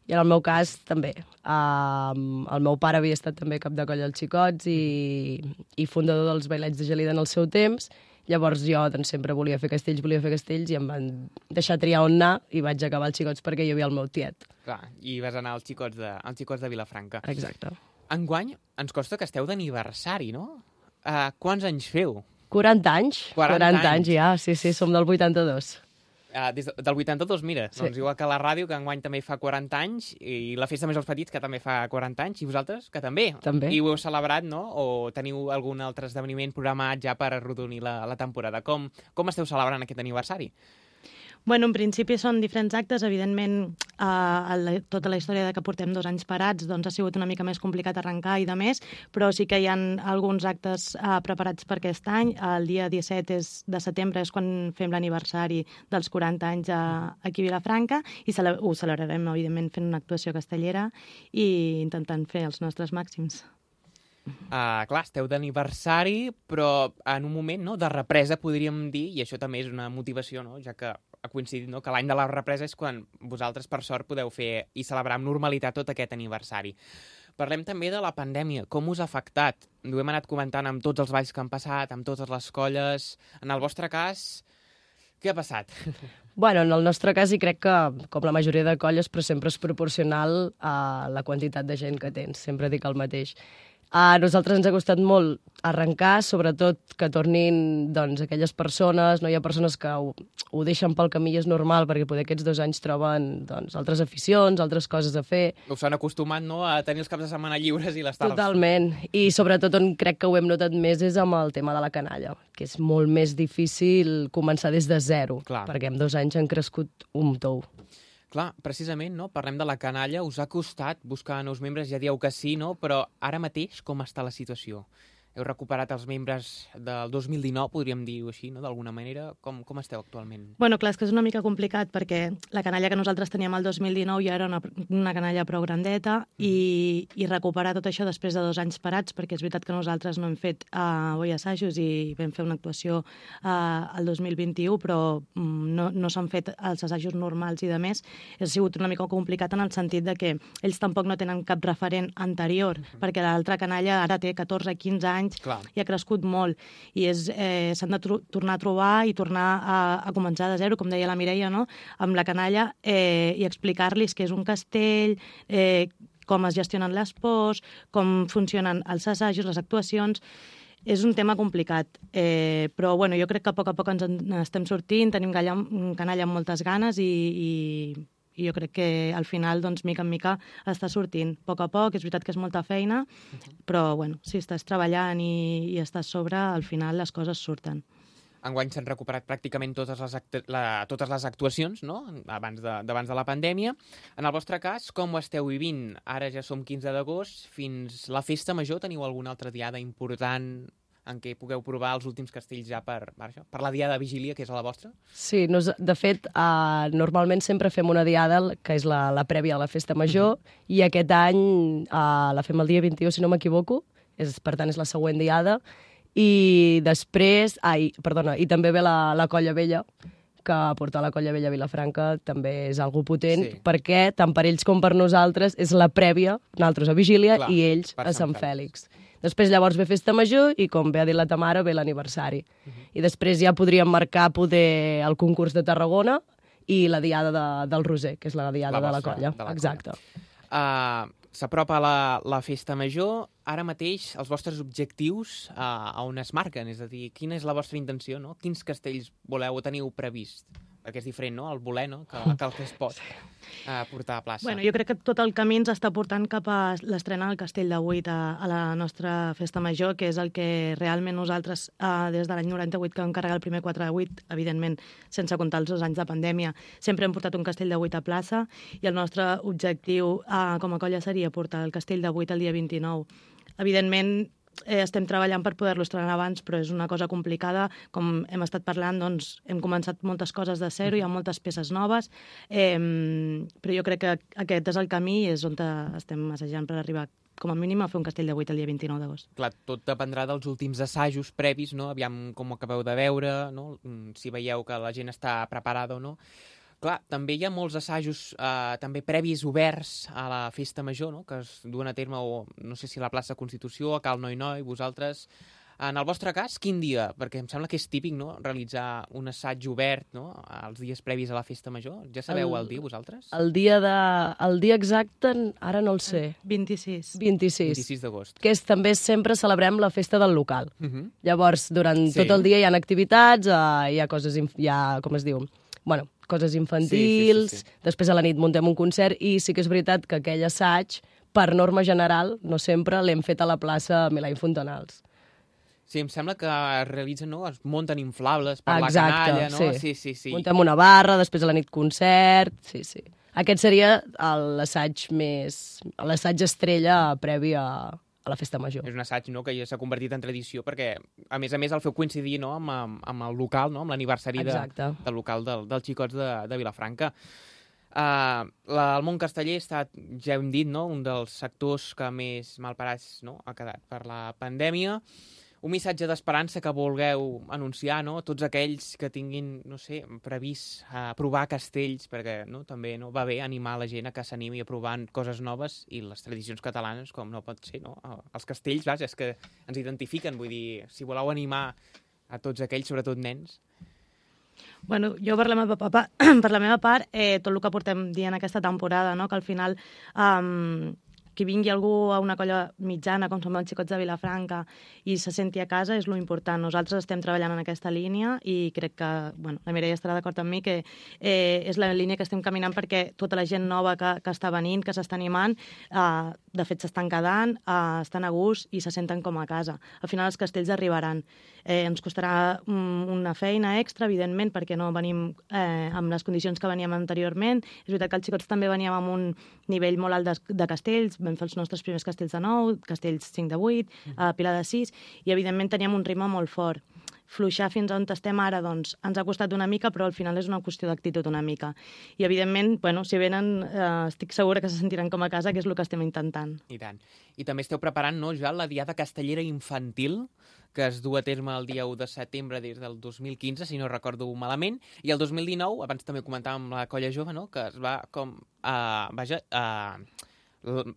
I en el meu cas, també. Um, el meu pare havia estat també cap de colla als xicots i, i fundador dels bailets de Gelida en el seu temps. Llavors jo doncs, sempre volia fer castells, volia fer castells, i em van deixar triar on anar i vaig acabar als xicots perquè hi havia el meu tiet. Clar, i vas anar als xicots de, als xicots de Vilafranca. Exacte. Enguany ens consta que esteu d'aniversari, no? Uh, quants anys feu? quaranta anys. quaranta quaranta anys. anys ja, sí, sí, som del vuitanta-dos. Uh, des de, del vuitanta-dos, mira, Sí. doncs igual que la ràdio, que enguany també fa quaranta anys, i la Festa Major dels Petits, que també fa quaranta anys, i vosaltres, que també. També. I ho heu celebrat, no? O teniu algun altre esdeveniment programat ja per arrodonir la, la temporada? Com, com esteu celebrant aquest aniversari? Bueno, en principi són diferents actes. Evidentment, eh, la, tota la història de que portem dos anys parats doncs ha sigut una mica més complicat arrencar i de més, però sí que hi ha alguns actes eh, preparats per aquest any. El dia disset és, de setembre és quan fem l'aniversari dels quaranta anys a, aquí a Vilafranca, i cele ho celebrarem, evidentment, fent una actuació castellera i intentant fer els nostres màxims. Uh, clar, esteu d'aniversari, però en un moment, no, de represa, podríem dir, i això també és una motivació, no?, ja que ha coincidit, no?, que l'any de la represa és quan vosaltres, per sort, podeu fer i celebrar amb normalitat tot aquest aniversari. Parlem també de la pandèmia. Com us ha afectat? Ho hem anat comentant amb tots els balls que han passat, amb totes les colles. En el vostre cas, què ha passat? Bueno, en el nostre cas, i crec que, com la majoria de colles, però sempre és proporcional a la quantitat de gent que tens. Sempre dic el mateix. A nosaltres ens ha costat molt arrencar, sobretot que tornin doncs, aquelles persones. No hi ha persones que ho, ho deixen pel camí i és normal, perquè poder aquests dos anys troben doncs, altres aficions, altres coses a fer. Us han acostumat, no?, a tenir els caps de setmana lliures i les tardes. Totalment. I sobretot on crec que ho hem notat més és amb el tema de la canalla, que és molt més difícil començar des de zero, Clar. perquè en dos anys han crescut un tou. Clar, precisament, no? Parlem de la canalla, us ha costat buscar nous membres, ja dieu que sí, no? Però ara mateix com està la situació? Heu recuperat els membres del dos mil dinou, podríem dir-ho així, no?, d'alguna manera. Com, com esteu actualment? Bueno, clar, és que és una mica complicat perquè la canalla que nosaltres teníem el dos mil dinou ja era una, una canalla prou grandeta i, i recuperar tot això després de dos anys parats, perquè és veritat que nosaltres no hem fet uh, boi assajos i vam fer una actuació uh, el dos mil vint-i-u, però um, no, no s'han fet els assajos normals i de més. Ha sigut una mica complicat en el sentit de que ells tampoc no tenen cap referent anterior, uh -huh. perquè l'altra canalla ara té catorze quinze anys Clar. i ha crescut molt, i és, eh, s'han de tornar a trobar i tornar a, a començar de zero, com deia la Mireia, no?, amb la canalla, eh, i explicar-los què és un castell, eh, com es gestionen les pors, com funcionen els assajos, les actuacions. és un tema complicat, eh, però bueno, jo crec que a poc a poc ens en estem sortint, tenim galla, canalla amb moltes ganes i, i, i jo crec que al final, doncs, mica en mica, està sortint. A poc a poc, és veritat que és molta feina, però bueno, si estàs treballant i, i estàs sobre, al final les coses surten. Enguany s'han recuperat pràcticament totes les, actu la, totes les actuacions, no?, abans de, d'abans de la pandèmia. En el vostre cas, com ho esteu vivint? Ara ja som quinze d'agost, fins la festa major teniu alguna altra diada important en què pugueu provar els últims castells ja per, per, això, per la diada de vigília, que és a la vostra? Sí, nos, de fet, uh, normalment sempre fem una diada, que és la, la prèvia a la festa major, mm-hmm. i aquest any uh, la fem el dia vint-i-u, si no m'equivoco, és, per tant és la següent diada, i després, ai, perdona, i també ve la, la Colla Vella, que portar la Colla Vella a Vilafranca també és algo potent, sí. perquè tant per ells com per nosaltres és la prèvia, nosaltres a Vigília, clar, i ells a Sant Fèlix. Després llavors ve Festa Major i, com bé ha dit la Tamara, ve l'aniversari. Uh-huh. I després ja podríem marcar poder el concurs de Tarragona i la diada de, del Roser, que és la diada la de la Colla. De la Exacte. Uh, S'apropa la, la Festa Major. Ara mateix, els vostres objectius uh, a on es marquen? És a dir, quina és la vostra intenció, no? Quins castells voleu o teniu previst? Perquè és diferent, no?, el voler, no?, que, que el que es pot uh, portar a plaça. Bueno, jo crec que tot el camí ens està portant cap a l'estrena del Castell de Vuit a, a la nostra Festa Major, que és el que realment nosaltres, uh, des de l'any noranta-vuit, que vam carregar el primer quatre de vuit, evidentment, sense comptar els dos anys de pandèmia, sempre hem portat un Castell de Vuit a plaça, i el nostre objectiu uh, com a colla seria portar el Castell de Vuit el dia vint-i-nou. Evidentment, Eh, estem treballant per poder-lo estrenar abans, però és una cosa complicada. Com hem estat parlant, doncs, hem començat moltes coses de zero, hi ha moltes peces noves, eh, però jo crec que aquest és el camí i és on estem assajant per arribar com a mínim a fer un Castell de Vuit el dia vint-i-nou d'agost. Clar, tot dependrà dels últims assajos previs, no? Aviam com ho acabeu de veure, no? Si veieu que la gent està preparada o no. Clar, també hi ha molts assajos eh, també previs oberts a la Festa Major, no?, que es duen a terme, o no sé si a la plaça Constitució, a Cal Noi Noi, vosaltres. En el vostre cas, quin dia? Perquè em sembla que és típic, no?, realitzar un assaig obert, no?, els dies previs a la Festa Major. Ja sabeu el, el dia, vosaltres? El dia, de, el dia exacte, ara no el sé. vint-i-sis. vint-i-sis. vint-i-sis d'agost. Que és, també sempre celebrem la festa del local. Uh -huh. Llavors, durant sí. tot el dia hi ha activitats, uh, hi ha coses, hi ha, com es diu, bueno, coses infantils, sí, sí, sí, sí. Després a la nit muntem un concert i sí que és veritat que aquell assaig, per norma general, no sempre, l'hem fet a la plaça Milà i Fontanals. Sí, em sembla que es realitzen, no?, es munten inflables per Exacte, la canalla, no? Sí. Sí, sí, sí. Muntem una barra, després a la nit concert, sí, sí. Aquest seria l'assaig més... l'assaig estrella previ a... a la Festa Major. És un assaig, no?, que ja s'ha convertit en tradició perquè, a més a més, el feu coincidir, no?, amb, amb el local, no?, amb l'aniversari de, del local del, dels xicots de, de Vilafranca. Uh, la, el món casteller ha estat, ja hem dit, no?, un dels sectors que més malparats, no?, ha quedat per la pandèmia. Un missatge d'esperança que vulgueu anunciar, no?, tots aquells que tinguin, no sé, previst uh, provar castells, perquè, no?, també no va bé animar la gent a que s'animi a provar coses noves i les tradicions catalanes, com no pot ser, no? Els castells, vaja, és que ens identifiquen, vull dir, si voleu animar a tots aquells, sobretot nens. Bueno, jo per la meva, papa, per la meva part, eh, tot el que portem dient aquesta temporada, no?, que al final... Um, que vingui algú a una colla mitjana, com som els xicots de Vilafranca, i se senti a casa, és lo important. Nosaltres estem treballant en aquesta línia i crec que, bueno, la Mireia estarà d'acord amb mi, que eh, és la línia que estem caminant perquè tota la gent nova que, que està venint, que s'està animant, eh, de fet s'estan quedant, eh, estan a gust i se senten com a casa. Al final els castells arribaran. Eh, ens costarà um, una feina extra, evidentment, perquè no venim eh, amb les condicions que veníem anteriorment. És veritat que els xicots també veníem amb un nivell molt alt de, de castells, vam fer els nostres primers castells de nou, castells cinc de vuit, uh, Pilar de sis, i evidentment teníem un ritme molt fort. Fluixar fins on estem ara, doncs, ens ha costat una mica, però al final és una qüestió d'actitud una mica. I evidentment, bueno, si venen, eh, estic segura que se sentiran com a casa, que és el que estem intentant. I tant. I també esteu preparant, no, ja la diada castellera infantil, que es du a terme el dia u de setembre des del dos mil quinze, si no recordo malament, i el dos mil dinou, abans també comentàvem la colla jove, no?, que es va com... Uh, vaja... Uh,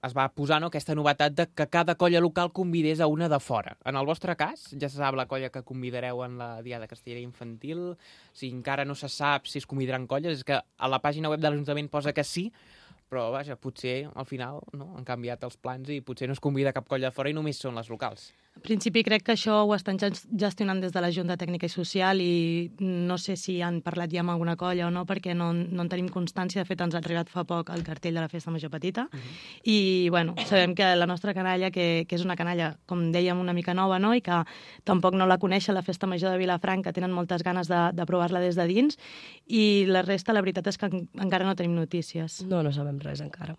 es va posar, no, aquesta novetat de que cada colla local convidés a una de fora. En el vostre cas, ja se sap la colla que convidareu en la diada castellera infantil? Si encara no se sap si es convidaran colles, és que a la pàgina web de l'Ajuntament posa que sí, però vaja, potser al final, no, han canviat els plans i potser no es convida cap colla de fora i només són les locals. En principi crec que això ho estan gestionant des de la Junta Tècnica i Social i no sé si han parlat ja amb alguna colla o no, perquè no, no en tenim constància. De fet, ens ha arribat fa poc el cartell de la Festa Major Petita. Uh -huh. I, bueno, sabem que la nostra canalla, que, que és una canalla, com dèiem, una mica nova, no?, i que tampoc no la coneixen, la Festa Major de Vilafranca, tenen moltes ganes de, de provar-la des de dins, i la resta, la veritat és que en, encara no tenim notícies. No, no sabem res encara.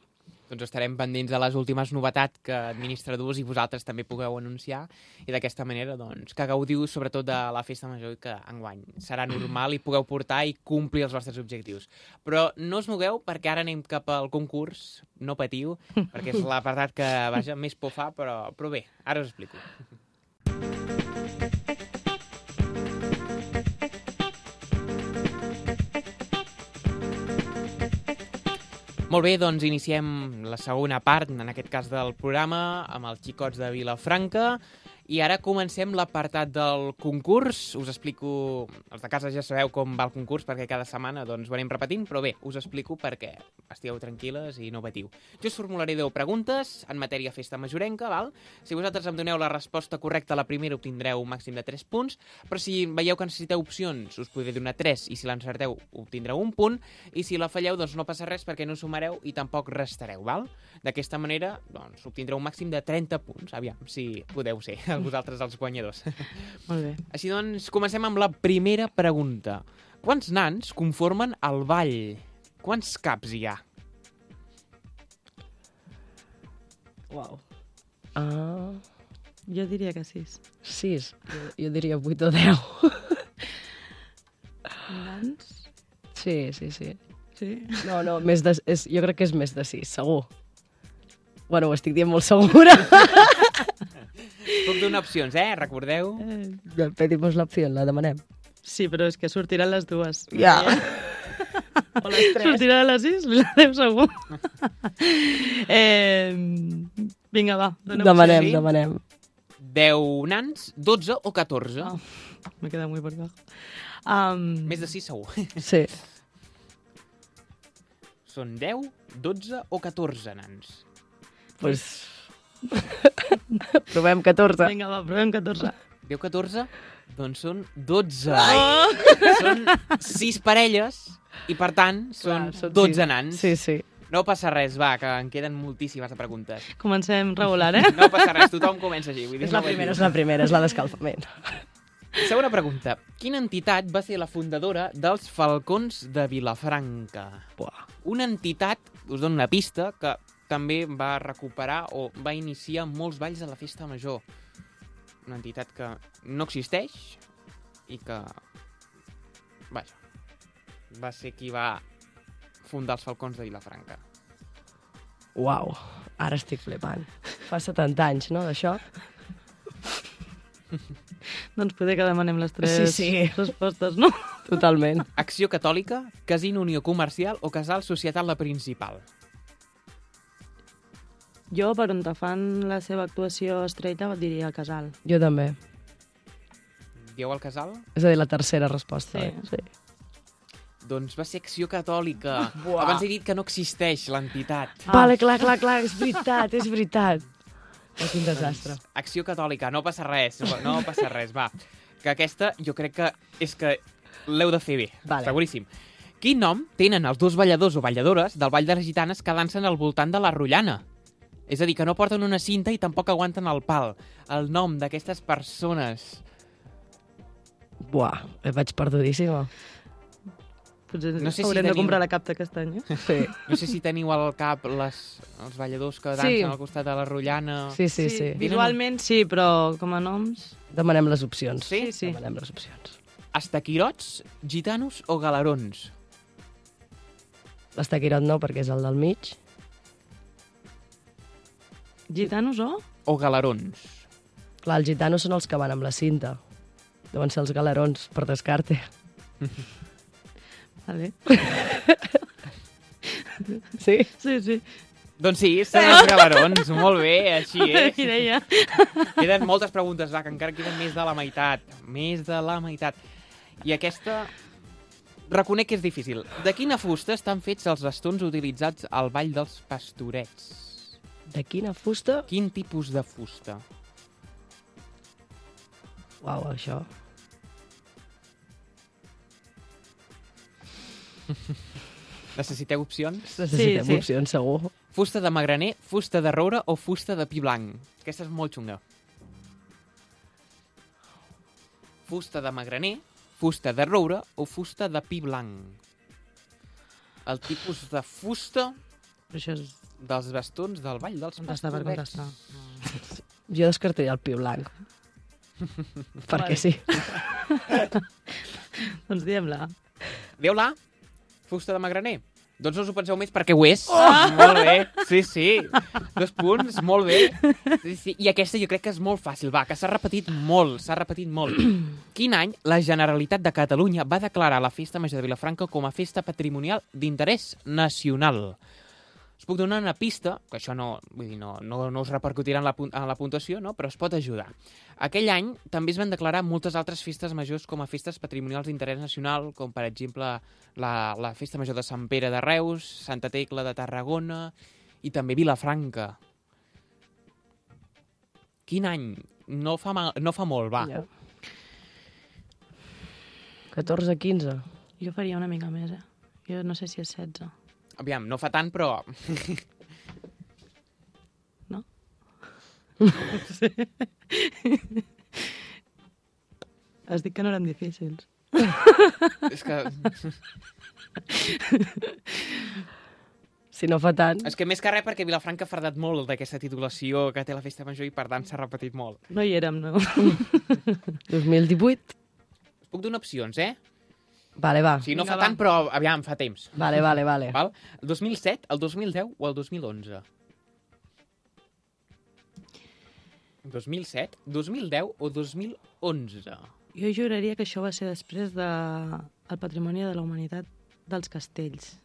Doncs estarem pendents de les últimes novetats que administradors i vosaltres també pugueu anunciar i d'aquesta manera doncs, que gaudiu sobretot de la Festa Major i que enguany serà normal i pugueu portar i complir els vostres objectius. Però no us mogueu perquè ara anem cap al concurs, no patiu, perquè és l'apartat que, vaja, més por fa, però, però bé, ara us explico. Molt bé, doncs iniciem la segona part, en aquest cas del programa, amb els xicots de Vilafranca. I ara comencem l'apartat del concurs. Us explico... Els de casa ja sabeu com va el concurs, perquè cada setmana doncs, ho anem repetint, però bé, us explico perquè estigueu tranquil·les i no patiu. Jo us formularé deu preguntes en matèria festa majorenca, val? Si vosaltres em doneu la resposta correcta a la primera, obtindreu un màxim de tres punts, però si veieu que necessiteu opcions, us podré donar tres, i si l'encerteu, obtindreu un punt, i si la falleu, doncs no passa res perquè no sumareu i tampoc restareu, val? D'aquesta manera, doncs, obtindreu un màxim de trenta punts. Aviam, si podeu ser vosaltres els guanyadors. Molt bé. Així doncs, comencem amb la primera pregunta. Quants nans conformen el ball? Quants caps hi ha? Uau. Uh, jo diria que sis. Sis. Jo, jo diria vuit o deu. Nans? Sí, sí, sí. Sí? No, no, més de, és, jo crec que és més de sis, segur. Bueno, ho estic dient molt segura. Puc donar opcions, eh? Recordeu? Eh. Pedimos l'opció, la demanem. Sí, però és que sortiran les dues. Ja. O les tres. Sortirà a les sis? La deu segur. eh, vinga, va. Demanem, sí? demanem. deu nans, dotze o catorze? Oh, me queda muy por debajo. Um... Més de sis segur. Sí. Són deu, dotze o catorze nans? Pues... provem catorze. Vinga, va, provem catorze. Deu, catorze? Doncs són dotze. Oh! Són sis parelles i, per tant, són Clar, dotze sí. nans. Sí, sí. No passa res, va, que en queden moltíssimes de preguntes. Comencem regular, eh? No passa res, tothom comença així. Vull dir, és la no primera, és la primera, és la d'escalfament. Segona pregunta. Quina entitat va ser la fundadora dels Falcons de Vilafranca? Buah. Una entitat, us dono una pista, que també va recuperar o va iniciar molts balls de la Festa Major. Una entitat que no existeix i que, vaja, va ser qui va fundar els Falcons de Vilafranca. Uau, ara estic flipant. Fa setanta anys, no, d'això? Doncs poder que demanem les tres sí, sí. respostes, no? Totalment. Acció Catòlica, Casino Unió Comercial o Casal Societat La Principal? Jo, per on te fan la seva actuació estreta, diria el Casal. Jo també. Dieu el Casal? És a dir, la tercera resposta. Sí. Eh? Sí. Doncs va ser Acció Catòlica. Buah. Abans he dit que no existeix l'entitat. Ah. Vale, clar, clar, clar, és veritat, és veritat. És un desastre. Doncs, Acció Catòlica, no passa res, no passa res, va. Que aquesta jo crec que és que l'heu de fer bé, vale. Seguríssim. Quin nom tenen els dos balladors o balladores del Ball de les Gitanes que dansen al voltant de la Rotllana? És a dir, que no porten una cinta i tampoc aguanten el pal. El nom d'aquestes persones. Buah, em vaig perdudíssima. Potser no sé haurem si de teniu... comprar la capta aquest any, eh? Sí. No sé si teniu al cap les, els balladors que dansen sí. al costat de la Rotllana. Sí, sí, sí. sí. Visualment sí, però com a noms... Demanem les opcions. Sí? Sí. Demanem les opcions. Estaquirots, gitanos o galerons? L'estaquirot no, perquè és el del mig. Gitanos o? O galerons? Clar, els gitanos són els que van amb la cinta. Deuen ser els galerons, per descarte. Vale. Sí? Sí, sí. Doncs sí, són els galerons. Molt bé, així és. Qui deia? Queden moltes preguntes, va, que encara queden més de la meitat. Més de la meitat. I aquesta... Reconec que és difícil. De quina fusta estan fets els bastons utilitzats al Ball dels Pastorets? De quina fusta? Quin tipus de fusta? Uau, això... Necessiteu opcions? Necessitem sí, sí. opcions, segur. Fusta de magraner, fusta de roure o fusta de pi blanc? Aquesta és molt xunga. Fusta de magraner, fusta de roure o fusta de pi blanc? El tipus de fusta Però això és... dels bastons del Vall dels Contestar per Pastorets. contestar. Jo descartaria el pi blanc. Perquè sí. Doncs diem-la. Dieu-la? Fusta de magraner? Doncs no us ho penseu més perquè ho és. Oh! Molt bé. Sí, sí. Dos punts, molt bé. Sí, sí. I aquesta jo crec que és molt fàcil, va, que s'ha repetit molt, s'ha repetit molt. Quin any la Generalitat de Catalunya va declarar la Festa Major de Vilafranca com a festa patrimonial d'interès nacional? Us puc donar una pista, que això no, vull dir, no, no, no us repercutirà en la, en la puntuació, no? Però es pot ajudar. Aquell any també es van declarar moltes altres festes majors com a festes patrimonials d'interès nacional, com per exemple la, la Festa Major de Sant Pere de Reus, Santa Tecla de Tarragona i també Vilafranca. Quin any? No fa, mal, no fa molt, va. Ja. catorze quinze. Jo faria una mica més, eh? Jo no sé si és setze. Aviam, no fa tant, però... No? Sí. Has dit que no eren difícils. És que... Si no fa tant... És que més que res perquè Vilafranca ha fardat molt d'aquesta titulació que té la Festa Major i per tant s'ha repetit molt. No hi érem, no. dos mil divuit. Us puc donar opcions, eh? Vale, va. O sigui, no Vinga, fa tant, va. però aviam, fa temps. Vale, vale, vale. Val? El dos mil set, el dos mil deu o el dos mil onze? dos mil set, dos mil deu o dos mil onze? Jo juraria que això va ser després de el Patrimoni de la Humanitat dels Castells.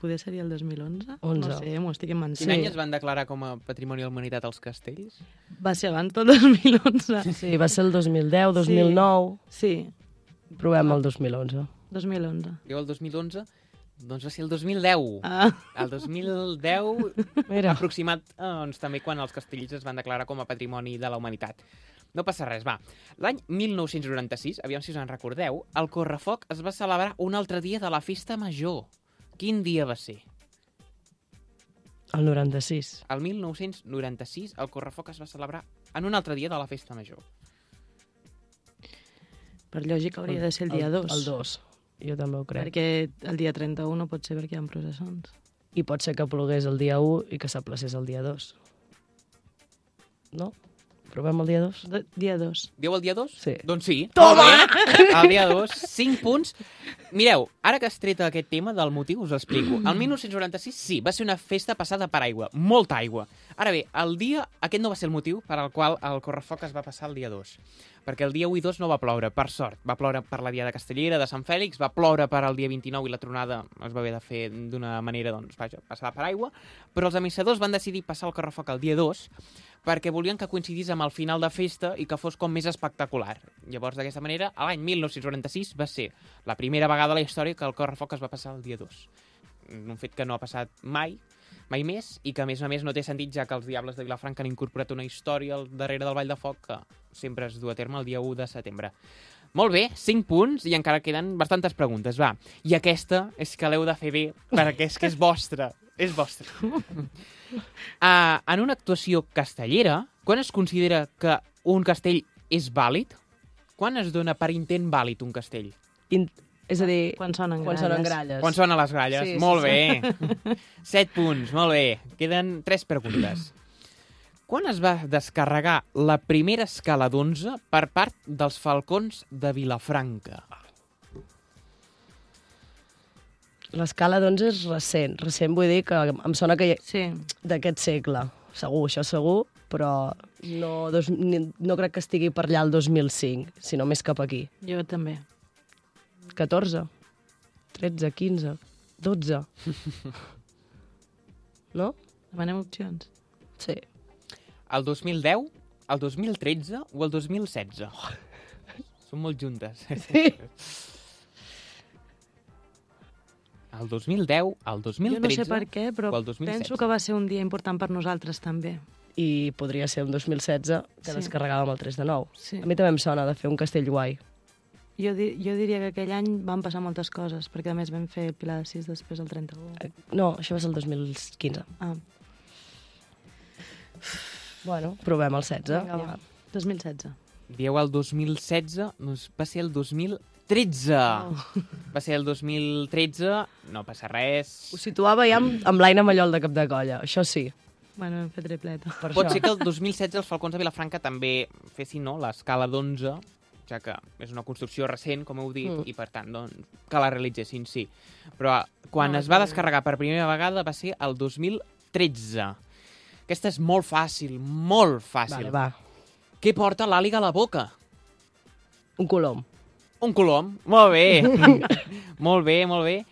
Poder seria el dos mil onze? onze. No sé, m'ho estic inventant. Quin any es van declarar com a Patrimoni de la Humanitat els castells? Va ser abans del dos mil onze. Sí, va ser el dos mil deu, dos mil nou... Sí. Provem el dos mil onze. dos mil onze. Diu el dos mil onze? Doncs va ser el dos mil deu. Ah. El dos mil deu, Mira. aproximat, eh, doncs, també quan els castells es van declarar com a Patrimoni de la Humanitat. No passa res, va. L'any mil nou-cents noranta-sis, aviam si us en recordeu, el Correfoc es va celebrar un altre dia de la Festa Major. Quin dia va ser? El noranta-sis. El mil nou-cents noranta-sis, el Correfoc es va celebrar en un altre dia de la Festa Major. Per lògica hauria de ser el dia dos. El dos, jo també ho crec. Perquè el dia trenta-u no pot ser perquè hi ha processons. I pot ser que plogués el dia u i que s'aplacés el dia dos. No? Provem el dia dos? De, dia dos. Diu el dia dos? Sí. Doncs sí. Toma! Molt bé. El dia dos, cinc punts. Mireu, ara que has tret aquest tema del motiu, us explico. El mil nou-cents noranta-sis, sí, va ser una festa passada per aigua. Molta aigua. Ara bé, el dia... Aquest no va ser el motiu per al qual el Correfoc es va passar el dia dos. Perquè el dia u i dos no va ploure, per sort. Va ploure per la dia de Castellera, de Sant Fèlix, va ploure per al dia vint-i-nou i la tronada es va haver de fer d'una manera, doncs, vaja, passada per aigua. Però els amissadors van decidir passar el Correfoc el dia dos perquè volien que coincidís amb el final de festa i que fos com més espectacular. Llavors, d'aquesta manera, l'any mil nou-cents noranta-sis va ser la primera vegada a la història que el Correfoc es va passar el dia dos. Un fet que no ha passat mai, mai més, i que, a més a més, no té sentit, ja que els Diables de Vilafranca han incorporat una història al darrere del Ball de Foc que sempre es du a terme el dia u de setembre. Molt bé, cinc punts, i encara queden bastantes preguntes, va. I aquesta és que l'heu de fer bé, perquè és que és vostra. És vostra. Uh, en una actuació castellera, quan es considera que un castell és vàlid? Quan es dona per intent vàlid un castell? In... És a dir... Quan sonen quan gralles. sonen gralles. Quan sonen les gralles. Sí, molt sí, bé. sí. Set punts, molt bé. Queden tres preguntes. Quan es va descarregar la primera escala d'onze per part dels Falcons de Vilafranca? L'escala d'onze és recent. Recent vull dir que em sona que hi... Sí. d'aquest segle. Segur, això segur, però no, dos, no crec que estigui per allà el dos mil cinc, sinó més cap aquí. Jo també. catorze, tretze, quinze, dotze. No? Demanem opcions. Sí. El dos mil deu, el dos mil tretze o el dos mil setze? Són molt juntes. Sí. El dos mil deu, el dos mil tretze Jo no sé per què, però o el dos mil setze? penso que va ser un dia important per nosaltres també. i podria ser un dos mil setze que Sí. descarregàvem el tres de nou. Sí. A mi també em sona de fer un castell guai. Jo, di jo diria que aquell any van passar moltes coses, perquè a més vam fer el Pilar de sis després el trenta-u. Eh, No, això va ser el dos mil quinze. Ah, Bueno, provem el setze. vinga, va. dos mil setze. Dieu el dos mil setze, doncs va ser el dos mil tretze. Oh. Va ser el dos mil tretze, no passa res. Ho situava ja amb, amb l'Aina Mallol de cap de colla, això sí. Bueno, vam fer tripleta. Per Pot això. ser que el dos mil setze els Falcons de Vilafranca també fessin no, l'escala d'onze, ja que és una construcció recent, com heu dit, Mm. i per tant, doncs, que la realitzessin, sí. Però quan No, es va no. descarregar per primera vegada va ser el dos mil tretze. Aquesta és molt fàcil, molt fàcil. Vale, va. Què porta l'àliga a la boca? Un colom. Un colom. Molt bé. molt bé, molt bé.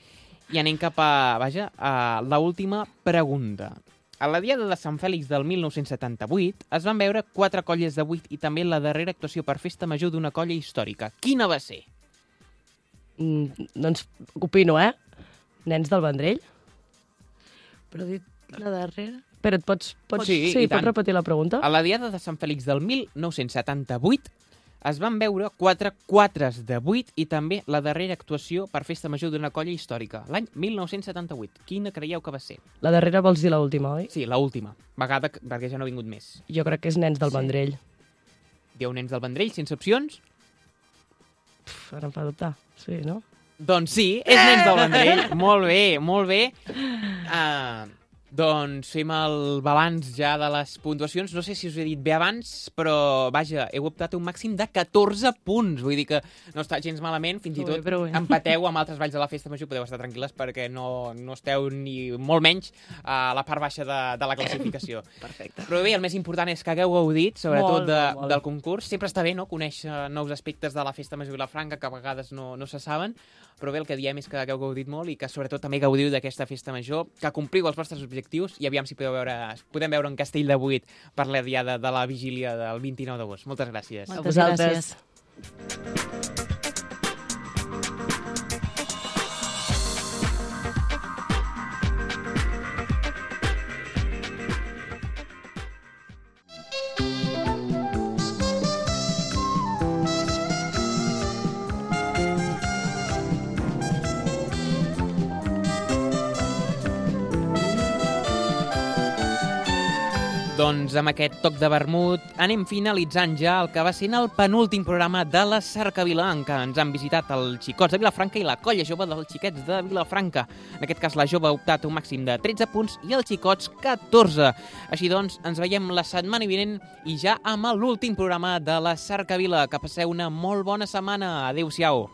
I anem cap a, vaja, a l'última pregunta. A la Diada de Sant Fèlix del mil nou-cents setanta-vuit es van veure quatre colles de vuit i també la darrera actuació per festa major d'una colla històrica. Quina va ser? Mm, doncs opino, eh? Nens del Vendrell. Però dit la darrera... Espera, et pots, pots, Sí, sí, i pots tant. repetir la pregunta? A la Diada de Sant Fèlix del mil nou-cents setanta-vuit es van veure quatre quatres de vuit i també la darrera actuació per festa major d'una colla històrica, l'any mil nou-cents setanta-vuit. Quina creieu que va ser? La darrera vols dir l'última, oi? Sí, l'última. Vegada que- perquè ja no ha vingut més. Jo crec que és Nens del Sí. Vendrell. Dieu Nens del Vendrell, sense opcions? Pff, ara em fa dubtar. Sí, no? Doncs sí, és Nens del Vendrell. Molt bé, molt bé. Uh, doncs fem el balanç ja de les puntuacions. No sé si us he dit bé abans, però vaja, heu optat a un màxim de catorze punts. Vull dir que no està gens malament, fins i Prou bé, tot prou bé. empateu amb altres valls de la festa major, podeu estar tranquil·les perquè no, no esteu ni molt menys a la part baixa de, de la classificació. Perfecte. Però bé, el més important és que hagueu gaudit, sobretot Molt, de, molt, molt. del concurs. Sempre està bé, no?, conèixer nous aspectes de la festa major Vilafranca que a vegades no, no se saben, però bé, el que diem és que hagueu gaudit molt i que sobretot també gaudiu d'aquesta festa major, que compliu els vostres objectius i aviam si podeu veure, podem veure un castell de vuit per la diada de la vigília del vint-i-nou d'agost. Moltes gràcies. A Moltes vosaltres. gràcies. Doncs amb aquest toc de vermut anem finalitzant ja el que va ser el penúltim programa de la Cercavila, en què ens han visitat els xicots de Vilafranca i la colla jove dels xiquets de Vilafranca. En aquest cas la jove ha optat un màxim de tretze punts i els xicots catorze. Així doncs, ens veiem la setmana vinent i ja amb l'últim programa de la Cercavila. Que passeu una molt bona setmana. Adéu-siau.